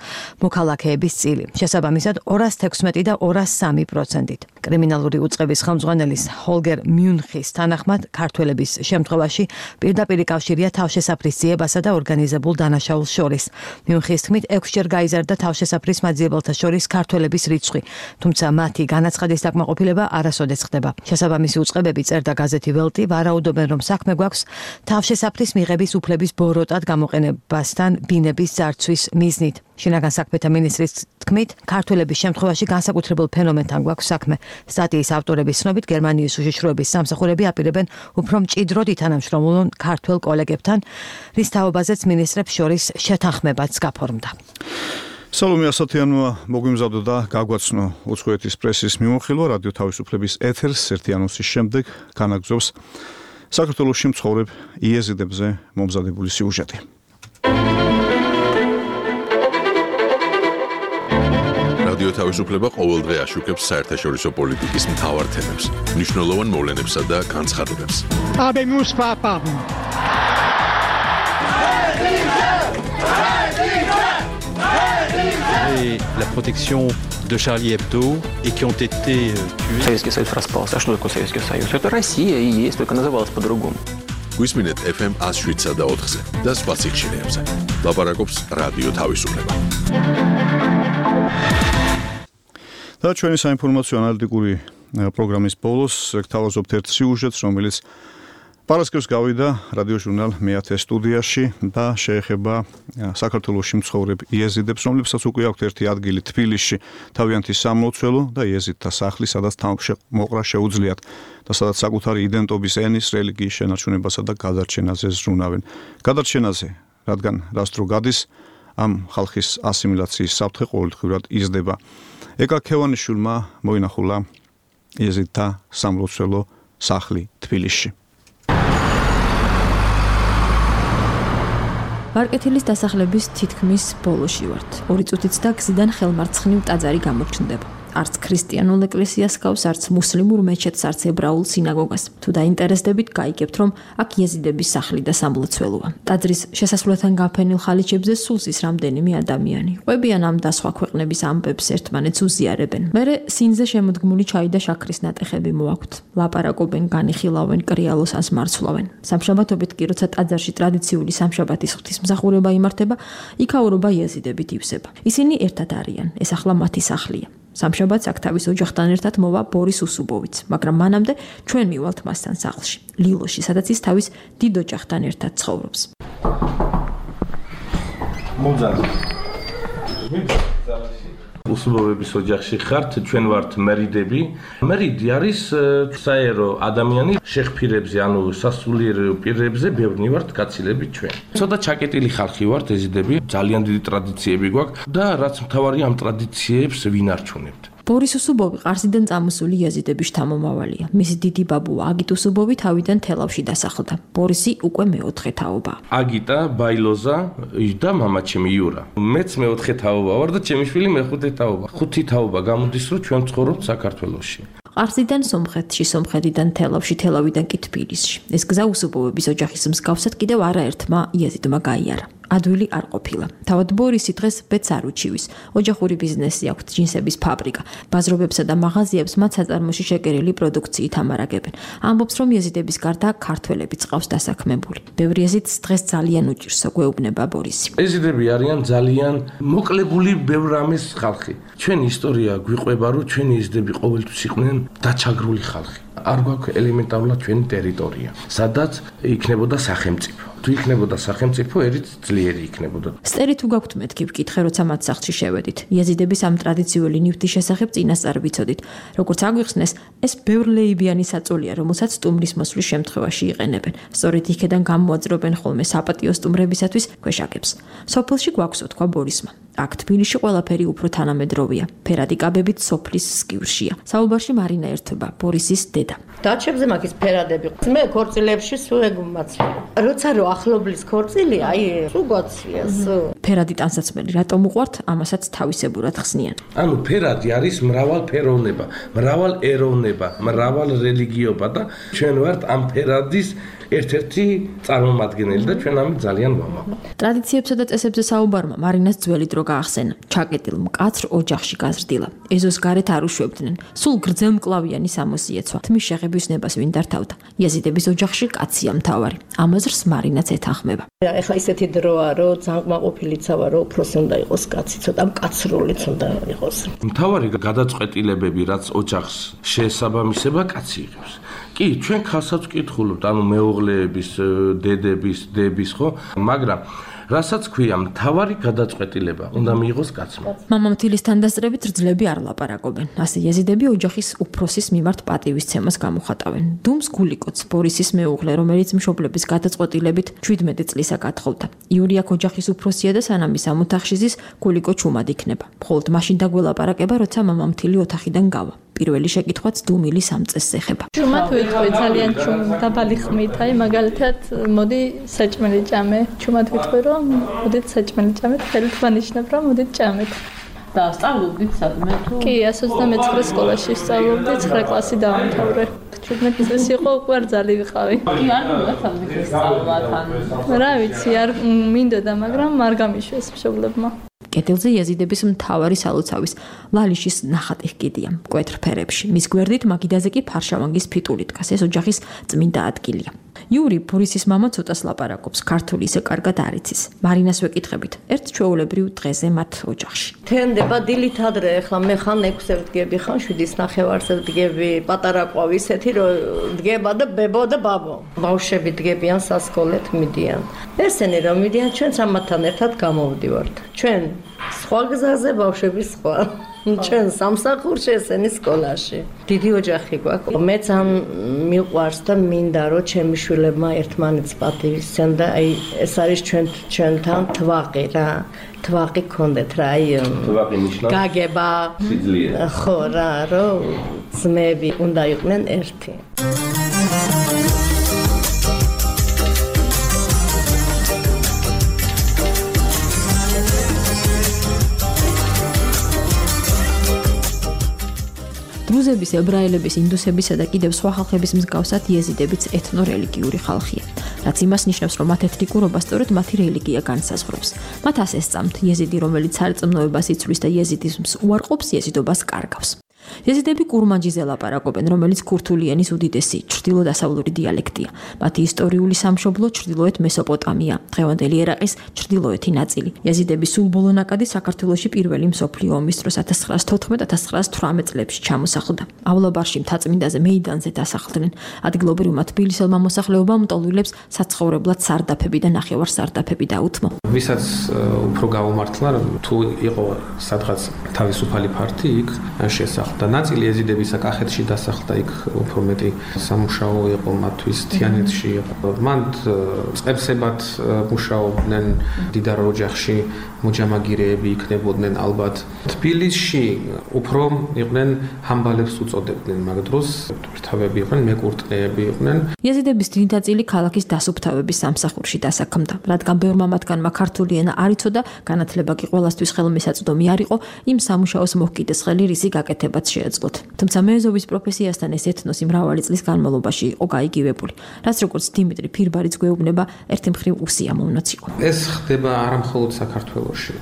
მოქალაქეების წილი. შესაბამისად ორას თექვსმეტი და ორას სამი პროცენტით. კრიმინალური უწყების ხელმძღვანელის ჰოლგერ მიუნხის თანახმად ქართველების შემთხვევაში პირდაპირი კავშირია თავშესაფრის ძიებასა და ორგანიზებულ დანაშაულს შორის. მიუნხის თქმით, ექვსჯერ გაიზარდა თავშესაფრის მაძიებელთა შორის ქართველების რიცხვი, თუმცა მათი განაცხადის დაკმაყოფილება არასოდეს ხდება. შესაბამისი უწყებები, წერდა გაზეთი ველტი, ვარაუდობენ, რომ საქმე გვაქვს თავშესაფრის მიღების უფლების ბოროტად გამოყენებასთან ბინების ძარცვის მიზნით. შინაგან საქმეთა მინისტრის თქმით, ქართველების შემთხვევაში განსაკუთრებულ ფენომენთან გვაქვს საქმე. სტატიის ავტორების ცნობით, გერმანიის უშიშროების სამსახურები აპირებენ უფრო მჭიდროდ ითანამშრომლონ ქართველ კოლეგებთან, რის თაობაზეც მინისტრებს შორის შეთანხმებაც გაფორმდა. სალომე ასათიანმა მოგვიმზადო და გაგვაცნო უცხოეთის პრესის მიმოხილვა რადიო თავისუფლების ეთერს ერთი ანონსის შემდეგ განაგზობს საქართველოში მცხოვრებ იეზიდებზე მომზადებული სიუჟეტი. რადიო თავისუფლება ყოველდღე აშუქებს საერთაშორისო პოლიტიკის მთავარ თემებს, მნიშვნელოვან მოვლენებსა და განცხადებებს. Habemus papa. Et la protection de Charlie Hebdo et qui ont été tués. Советский Союз распался. А что такое Советский Союз? Это Россия и есть, только называлась по-другому. გვისმინეთ эф эм one oh seven და ოთხზე და სხვა სიხშირეებზე. ლაპარაკობს რადიო თავისუფლება. და ჩვენი საინფორმაციო ანალიტიკური პროგრამის ბოლოს გთავაზობთ ერთ სიუჟეტს, რომელიც პარასკევს გავიდა რადიო ჟურნალ მეათე სტუდიაში და შეეხება საქართველოში მცხოვრებ იეზიდებს, რომლებსაც უკვე აქვთ ერთი ადგილი თბილისში, თავიანთი სამლოცველო და იეზიდთა სახლი, სადაც თავმოყრა შეუძლიათ და სადაც საკუთარი იდენტობის ენის, რელიგიის შენარჩუნებასა და გადარჩენაზე ზრუნავენ. გადარჩენაზე, რადგან რას დრო გადის, ამ ხალხის ასიმილაციის საფრთხე ყოველდღიურად იზრდება. ეკა ქევანიშვილმა მოინახულა იეზიდთა სამლოცველო სახლი თბილისში. მარკეთილის დასახლების თითქმის ბოლოში ვართ. ორი წუთიც და გზიდან ხელმარცხნივ ტაძარი გამოჩნდება. არც ქრისტიანულ ეკლესიას გავს, არც მუსლიმურ მეჩეთს, არც ებრაულ სინაგოგას. თუ დაინტერესდებით, გაიგებთ, რომ აქ იეზიდების სახლი და სამლოცველოა. ტაძრის შესასვლელთან განფენილ ხალიჩებზე სულ ზის რამდენიმე ადამიანი. ყვებიან ამ და სხვა ქვეყნების ამბებს, ერთმანეთს უზიარებენ. მერე სინზე შემოდგმული ჩაი და შაქრის ნატეხები მოაქვთ. ლაპარაკობენ, განიხილავენ, კრიალოს ან სმარცვლავენ. სამშაბათობით კი, როცა ტაძარში ტრადიციული სამშაბათის ღვთისმსახურება იმართება, იქაურობა იეზიდებით ივსება. ისინი ერთად არიან, ეს ახლა მათი სახლია. სამშაბათს აქ თავის ოჯახთან ერთად მოვა ბორის უსუბოვიც, მაგრამ მანამდე ჩვენ მივალთ მასთან სახლში, ლილოში, სადაც ის თავის დიდ ოჯახთან ერთად ცხოვრობს. უსუბოვების ოჯახში ხართ, ჩვენ ვართ მერიდები. მერიდი არის საერო ადამიანი, შეღფირებზე, ანუ სასულიერო პირებზე ბევრნი ვართ გაცილებით ჩვენ. ცოტა ჩაკეტილი ხალხი ვართ ეზიდები, ძალიან დიდი ტრადიციები გვაქვს და რაც მთავარია ამ ტრადიციებს ვინარჩუნებთ. ბორის უსუბოვი ყარსიდან წამოსული იეზიდების შთამომავალია. მისი დიდი ბაბუა აგიტ უსუბოვი თავიდან თელავში დასახლდა. ბორისი უკვე მეოთხე თაობა. აგიტა, ბაილოზა და მამაჩემი იურა. მეც მეოთხე თაობა ვარ და ჩემი შვილი მეხუთე თაობა. ხუთი თაობა გამოდის, რომ ჩვენ ცხოვრობთ საქართველოში. ყარსიდან სომხეთში, სომხეთიდან თელავში, თელავიდან კი თბილისში. ეს გზა უსუბოვების ოჯახის მსგავსად კიდევ არაერთმა იეზიდმა გაიარა. ადვილი არ ყოფილა. თავად ბორისი დღეს ბედს არ უჩივის. ოჯახური ბიზნესი აქვს, ჯინსების ფაბრიკა. ბაზრობებსა და მაღაზიებს მათ საწარმოში შეკერილი პროდუქციით ამარაგებენ. ამბობს, რომ იეზიდების გარდა ქართველებიც ყავს დასაქმებული. ბევრი იეზიდს დღეს ძალიან უჭირს, გვეუბნება ბორისი. იეზიდები არიან ძალიან მოკლებული ბევრ რამის ხალხი. ჩვენი ისტორია გვიყვება, რომ ჩვენი იეზიდები ყოველთვის იყვნენ დაჩაგრული ხალხი. არ გვაქვს ელემენტარულად ჩვენი ტერიტორია, სადაც იქნებოდა სახელმწიფო. თუ იქნებოდა სახელმწიფო, ერით ძლიერი იქნებოდა. სტერი თუ გაქვთ მეთქი ვკითხე, როცა მათ სახლში შევედით. იეზიდების ამ ტრადიციული ნივთის შესახებ წინასწარ ვიცოდით. როგორც აგვიხსნეს, ეს ბევრლეიბიანი საწოლია, რომელსაც სტუმრის მოსვლის შემთხვევაში იყენებენ. სწორედ იქედან გამოაძრობენ ხოლმე საპატიო სტუმრებისათვის ქვეშაკებს. სოფელში გვაქვს თქვა ბორისმა. აქ თბილისში ყველაფერი უფრო თანამედროვეა. ფერადი კაბებით სოფლის სკივრშია. საუბარში მარინა ერთობა, ბორისის დედა. დაჩებზე მაგის ფერადები. მე ქორწილებში სულ ეგ მაცლი. როცა რო ახლობლის ქორწილი, აი, სულ გვაცლია, სულ. ფერადი ტანსაცმელი რატომ უყვართ, ამასაც თავისებურად ხსნიან. ანუ ფერადი არის მრავალფეროვნება, მრავალეროვნება, მრავალ რელიგიობა და ჩვენ ვართ ამ ფერადის ერთ-ერთი წარმომადგენელი და ჩვენ ამით ძალიან ვამაყობთ. ტრადიციებსა და წესებზე საუბარმა მარინას ძველი დრო გაახსენა. ჩაკეტილ მკაცრ ოჯახში გაზრდილა. ეზოს გარეთ არ უშვებდნენ. სულ გრძელმკლავიანი სამოსიეცვა. თმის შეღების ნებას ვინ დართავდა. იეზიდების ოჯახში კაცია მთავარი. ამაზრს მარინაც ეთანხმება. ეხლა ისეთი დროა, რომ ძანკმაყოფილიცა ვარ, რომ უფროსი უნდა იყოს კაცი, ცოტა მკაცრულიც უნდა იყოს. მთავარი გადაწყვეტილებები, რაც ოჯახს შეესაბამისება, კაცი იღებს. კი, ჩვენ ხალხსაც ვკითხულობთ, ანუ მეუღლეების, დედების, დების, ხო? მაგრამ რასაც ქვია, მთავარი გადაწყვეტილება უნდა მიიღოს კაცმა. მამამთილის თანდასწრებით რძლები არ ლაპარაკობენ. ასე იეზიდები ოჯახის უფროსის მიმართ პატივისცემას გამოხატავენ. დუმს გულიკოც, ბორისის მეუღლე, რომელიც მშობლების გადაწყვეტილებით შვიდმეტი წლისა გათხოვდა. იური აქ ოჯახის უფროსია და სანამ ის ამ ოთახში ზის, გულიკო ჩუმად იქნება. მხოლოდ მაშინ დაგველაპარაკება, როცა მამამთილი ოთახიდან გავა. პირველი შეკითხვაც დუმილის ამ წესს ეხება. ჩუმად ვიტყვი ძალიან ჩუმ დაბალი ხმით, აი მაგალითად მოდი საჭმელი ჭამე. ჩუმად ვიტყვი რომ მოდით საჭმელი ჭამეთ, ხელით ვანიშნებ რომ მოდით ჭამეთ. და სწავლობდით სადმე თუ? კი, εκατს ოცდამეცხრე სკოლაში სწავლობდი, ცხრა კლასი დავამთავრე. შვიდმეტი წელი იყო, უკვე არ ძალი ვიყავი. კი, არ მოგდა სამი სწავლა თან. რა ვიცი, არ მინდოდა, მაგრამ არ გამიშვეს მშობლებმა. კედელზე იეზიდების მთავარი სალოცავის ლალიშის ნახატი ჰკიდია მკვეთრ ფერებში. მის გვერდით მაგიდაზე კი ფარშავანგის ფიტული დგას. ეს ოჯახის წმინდა ადგილია. იური ბორისის მამა ცოტას ლაპარაკობს, ქართული ისე კარგად არ იცის. მარინას ვეკითხებით, ერთ ჩვეულებრივ დღეზე მათ ოჯახში. თენდება დილით ადრე, ახლა მე ხან ექვსზე ვდგები, ხან შვიდის ნახევარზე ვდგები, პატარა ყვავ ისეთი რომ დგება და ბებო და ბაბო. ბავშვები დგებიან სასკოლეთ მიდიან. ესენი რომ მიდიან, ჩვენც ამათთან ერთად გამოვდივართ. ჩვენ სხვა გზაზე, ბავშვები სხვა. ჩვენ სამსახურში, ესენი სკოლაში. დიდი ოჯახი გვაქვს. მეც ამ მიყვარს და მინდა რომ ჩემი შვილებმა ერთმანეთს პატივისცენ და აი ეს არის ჩვენ ჩვენთან თვაყი რა. თვაყი გქონდეთ რა, აი თვაყი ნიშნავს გაგება. სიძლიერე. ხო რა, რომ ძმები უნდა იყვნენ ერთი. დრუზების, ებრაელების, ინდუსებისა და კიდევ სხვა ხალხების მსგავსად იეზიდებიც ეთნორელიგიური ხალხია. რაც იმას ნიშნავს, რომ მათ ეთნიკურობა სწორედ მათი რელიგია განსაზღვრავს. მათ ასე სწამთ, იეზიდი, რომელიც სარწმუნოებას იცვლის და იეზიდიზმს უარყოფს, იეზიდობას კარგავს. იეზიდები კურმანჯიზე ლაპარაკობენ, რომელიც ქურთული ენის უდიდესი ჩრდილო-დასავლური დიალექტია. მათი ისტორიული სამშობლო ჩრდილოეთ მესოპოტამია, დღევანდელი ერაყის ჩრდილოეთი ნაწილი. იეზიდების სულ ბოლო ნაკადი საქართველოში პირველი მსოფლიო ომის დროს ათას ცხრაას თოთხმეტ ათას ცხრაას თვრამეტ წლებში ჩამოსახლდა.ავლაბარში მთაწმინდაზე მეიდანზე დასახლდნენ. ადგილობრივმა თბილისელმა მოსახლეობამ მტოლვილებს საცხოვრებლად სარდაფები და ნახევარ სარდაფები დაუთმო. ვისაც უფრო გაუმართლა, თუ იყო სადღაც თავისუფალი ფართი, იქ შესახდა. და ნაწილი ეზიდებისა კახეთში დასახლდა, იქ უფრო მეტი სამუშაო იყო მათთვის, თიანეთში იყო. მან წებსებად მუშაობდნენ, დიდარ ოჯახში მოჯამაგირეები იქნებოდნენ ალბათ. თბილისში უფრო იყვნენ ჰამბალებს უწოდებდნენ, მაგ დროს თავები იყვნენ, მეკურტყეები იყვნენ. იეზიდების დიდი ნაწილი ქალაქის დასუფთავების სამსახურში დასაქმდა. რადგან ბევრმა მათგანმა ქართული ენა არ იცოდა, განათლება კი ყველასთვის ხელმისაწვდომი არ იყო, იმ სამუშაოს მოჰკიდეს ხელი რისი გაკეთება შეეძლოთ. თუმცა მეეზოვის პროფესიასთან ეს ეთნოსი მრავალი წლის განმავლობაში იყო გაიგივებული, რაც როგორც დიმიტრი ფირბარიც გვეუბნება, ერთი მხრივ უსიამოვნოც იყო. ეს ხდება არა მხოლოდ საქართველოში.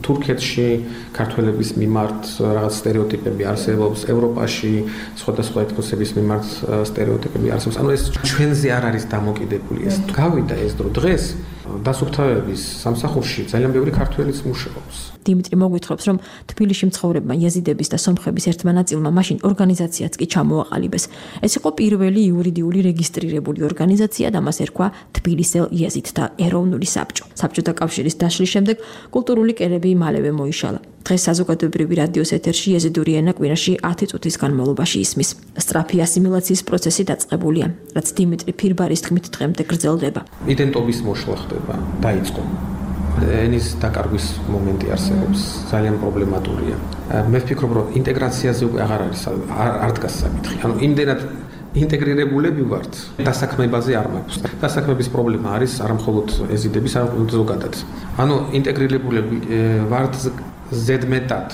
თურქეთში ქართველების მიმართ რაღაც სტერეოტიპები არსებობს, ევროპაში სხვადასხვა ეთნოსების მიმართ სტერეოტიპები არსებობს. ანუ ეს ჩვენზე არ არის დამოკიდებული. ეს გავიდა ეს დრო დღეს დასუფთავების სამსახურში ძალიან ბევრი ქართველიც მუშაობს. დიმიტრი მოგვითხრობს, რომ თბილისში მცხოვრებმა იეზიდების და სომხების ერთმა ნაწილმა მაშინ ორგანიზაციაც კი ჩამოაყალიბეს. ეს იყო პირველი იურიდიული რეგისტრირებული ორგანიზაცია და მას ერქვა თბილისელ იეზიდთა ეროვნული საბჭო. საბჭოთა კავშირის დაშლის შემდეგ კულტურული კერები მალევე მოიშალა. დღეს საზოგადოებრივი რადიოს ეთერში იეზიდური ენა კვირაში ათი წუთის განმავლობაში ისმის. სწრაფი ასიმილაციის პროცესი დაწყებულია, რაც დიმიტრი ფირბარის თქმით დღემდე გრძელდება. იდენტობის მოშლა ხდება, დაიწყო. ენის დაკარგვის მომენტი არსებობს, ძალიან პრობლემატურია. მე ვფიქრობ, რომ ინტეგრაციაზე უკვე აღარ არის არ დგას საკითხი. ანუ იმდენად ინტეგრირებულები ვართ, დასაქმებაზე არ მაქვს. დასაქმების პრობლემა არის არამხოლოდ ეზიდების, არამხოლოდ ზოგადად. ანუ ინტეგრირებულები ვართ ზედმეტად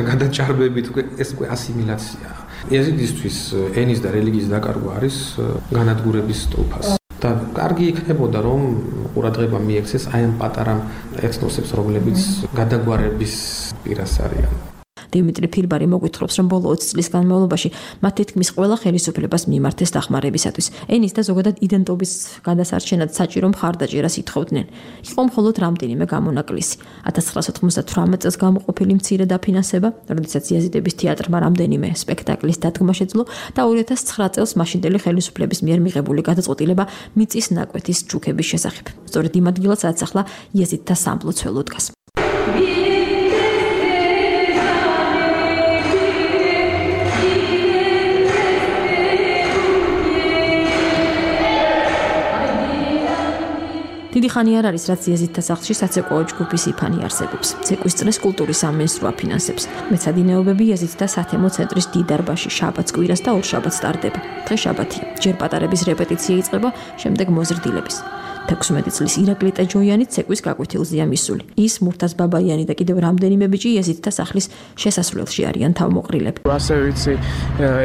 გადაჭარბებით, ეს უკვე ასიმილაცია. ეზიდისთვის ენის და რელიგიის დაკარგვა არის განადგურების სტופას. და კარგი იქნებოდა, რომ ყურადღება მიექცეს აი ამ პატარა ეთნოსებს, რომლებიც გადაგვარების პირას არიან. დიმიტრი ფირბარი მოგვითხრობს, რომ ბოლო ოცი წლის განმავლობაში მათ თითქმის ყველა ხელისუფლებას მიმართეს დახმარებისათვის. ენის და ზოგადად იდენტობის გადასარჩენად საჭირო მხარდაჭერას ითხოვდნენ. იყო მხოლოდ რამდენიმე გამონაკლისი. ათას ცხრაასა ოცდათვრამეტ წელს გამოყოფილი მცირე დაფინანსება, როდესაც იეზიდების თეატრმა რამდენიმე სპექტაკლის დადგმა შეძლო და ორი ათას ცხრა წელს მაშინდელი ხელისუფლების მიერ მიღებული გადაწყვეტილება მიწის ნაკვეთის ჯუქების შესახებ. სწორედ იმ ადგილას, სადაც ახლა იეზიდთა სამლოცველო დგას. დიდი ხანი არ არის, რაც იეზიდთა სახლში საცეკვაო ჯგუფის იფანი არსებობს. ცეკვის წრეს კულტურის სამინისტრო აფინანსებს. მეცადინეობები იეზიდთა სათემო ცენტრის დიდ დარბაზში შაბათს კვირას და ორ შაბათს ტარდება. დღეს შაბათია. ჯერ პატარების რეპეტიცია იწყება, შემდეგ მოზრდილების. თექვსმეტი წლის ირაკლი ტეჯოიანი ცეკვის გაკვეთილზეა მისული. ის, მურთაზ ბაბაიანი და კიდევ რამდენიმე ბიჭი იეზიდთა სახლის შესასვლელში არიან თავმოყრილები. ასე ვიცი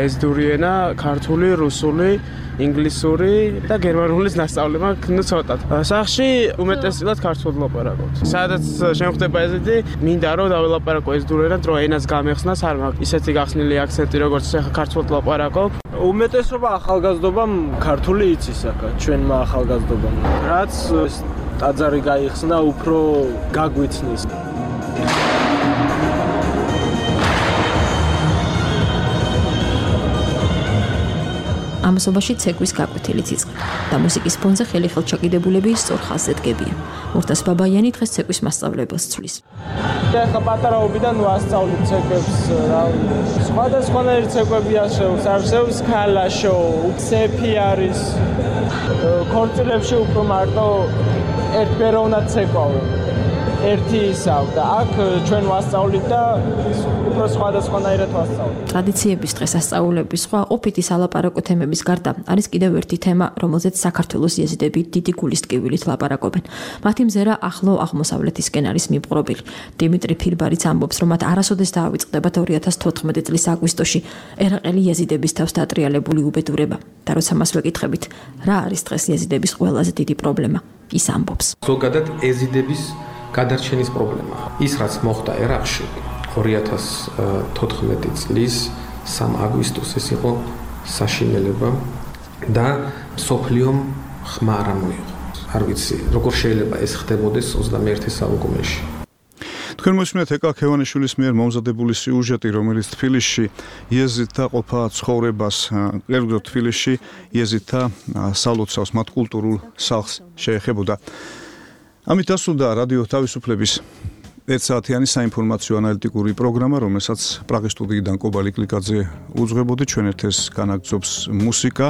ეზიდური ენა, ქართული, რუსული, ინგლისური და გერმანულის მასწავლება ქნა ცოტად. სახლში უმეტესად ქართულად ლაპარაკობთ. სადაც შემხდება ეზიდი, მინდა რომ დაველაპარაკო ეზიდური ენად, რომ ენას გამეხსნას არ მაქვს ისეთი გახსნილი აქცენტი, როგორც ახლა ქართულად ლაპარაკობ. უმეტესობა ახალგაზრდობამ ქართული იცის აქ, ჩვენმა ახალგაზრდობამ. რაც ტაძარი გაიხსნა, უფრო გაგვიცნის. ამასობაში ცეკვის გაკვეთილიც იწყება და მუსიკის ფონზე ხელი-ხელჩაკიდებულები სწორ ხაზზე დგებიან. მურთაზ ბაბაიანი დღეს ცეკვის მასწავლებელს ცვლის. ახლა პატარაობიდან ვასწავლებ ცეკვებს, სხვადასხვანაირი ცეკვები არსებობს, არსებობს ქალაშო, უცეფი არის, ქორწილებში უფრო მარტო ერთბეროვნად ცეკვავენ. ერთი ისავ და აქ ჩვენ ვასწავლით და უფრო სხვადასხვანაირად ვასწავლით. ტრადიციების დღეს ასწავლების სხვა ყოფითი სალაპარაკო თემების გარდა არის კიდევ ერთი თემა, რომელზეც საქართველოს იეზიდები დიდი გულის ტკივილით ლაპარაკობენ. მათი მზერა ახლო აღმოსავლეთისკენ არის მიპყრობილი. დიმიტრი ფირბარიც ამბობს, რომ მათ არასოდეს დაავიწყდებათ ორი ათას თოთხმეტი წლის აგვისტოში ერაყელი იეზიდების თავს დაატრიალებული უბედურება. და როცა მას ვეკითხებით, რა არის დღეს იეზიდების ყველაზე დიდი პრობლემა, ის ამბობს. ზოგადად ეზიდების გადარჩენის პრობლემა. ის რაც მოხდა ერაყში ორი ათას თოთხმეტი წლის სამი აგვისტოს ეს იყო საშინელება და სოფლიომ ხმა არ მოიღო. არ ვიცი, როგორ შეიძლება ეს ხდებოდეს ოცდამეერთე საუკუნეში. თქვენ მოსმენთ ეკა ქევანიშვილის მიერ მომზადებული სიუჟეტი, რომელიც თბილისში იეზიდთა ყოფა ცხოვრებას, კერძოდ თბილისში იეზიდთა სალოცავს, მათ კულტურულ სახლს შეეხებოდა. ამით დასრულდა რადიო თავისუფლების ერთსაათიანი საინფორმაციო ანალიტიკური პროგრამა, რომელსაც პრაღის სტუდიიდან კობალი კლიკაძე უძღვებოდი. ჩვენ ერთეს განაგრძობს მუსიკა.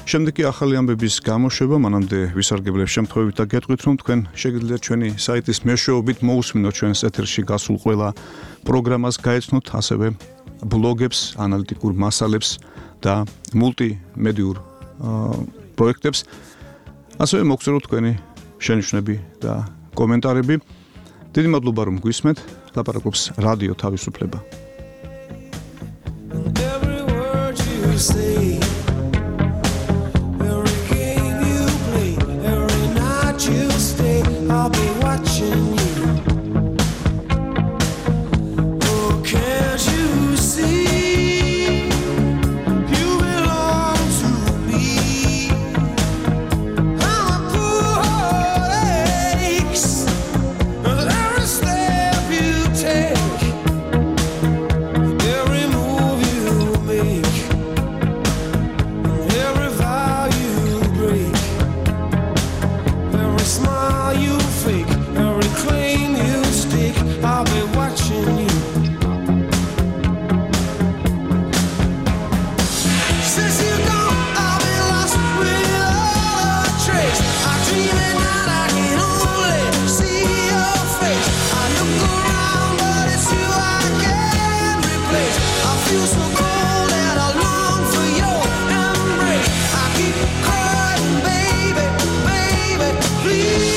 შემდეგ კი ახალი ამბების გამოშვება, მანამდე ვისარგებლებ შემთხვევით და გეტყვით, რომ თქვენ შეგიძლიათ ჩვენი საიტის მეშვეობით მოусმინოთ ჩვენს ეთერში გასულ ყველა პროგრამას, გაეცნოთ ასევე ბლოგებს, ანალიტიკურ მასალებს და მულტიმედიურ პროექტებს. ასევე მოგწეროთ თქვენი შენიშვნები და კომენტარები. დიდი მადლობა რომ გვისმენთ. ლაპარაკობს რადიო თავისუფლება. Oh please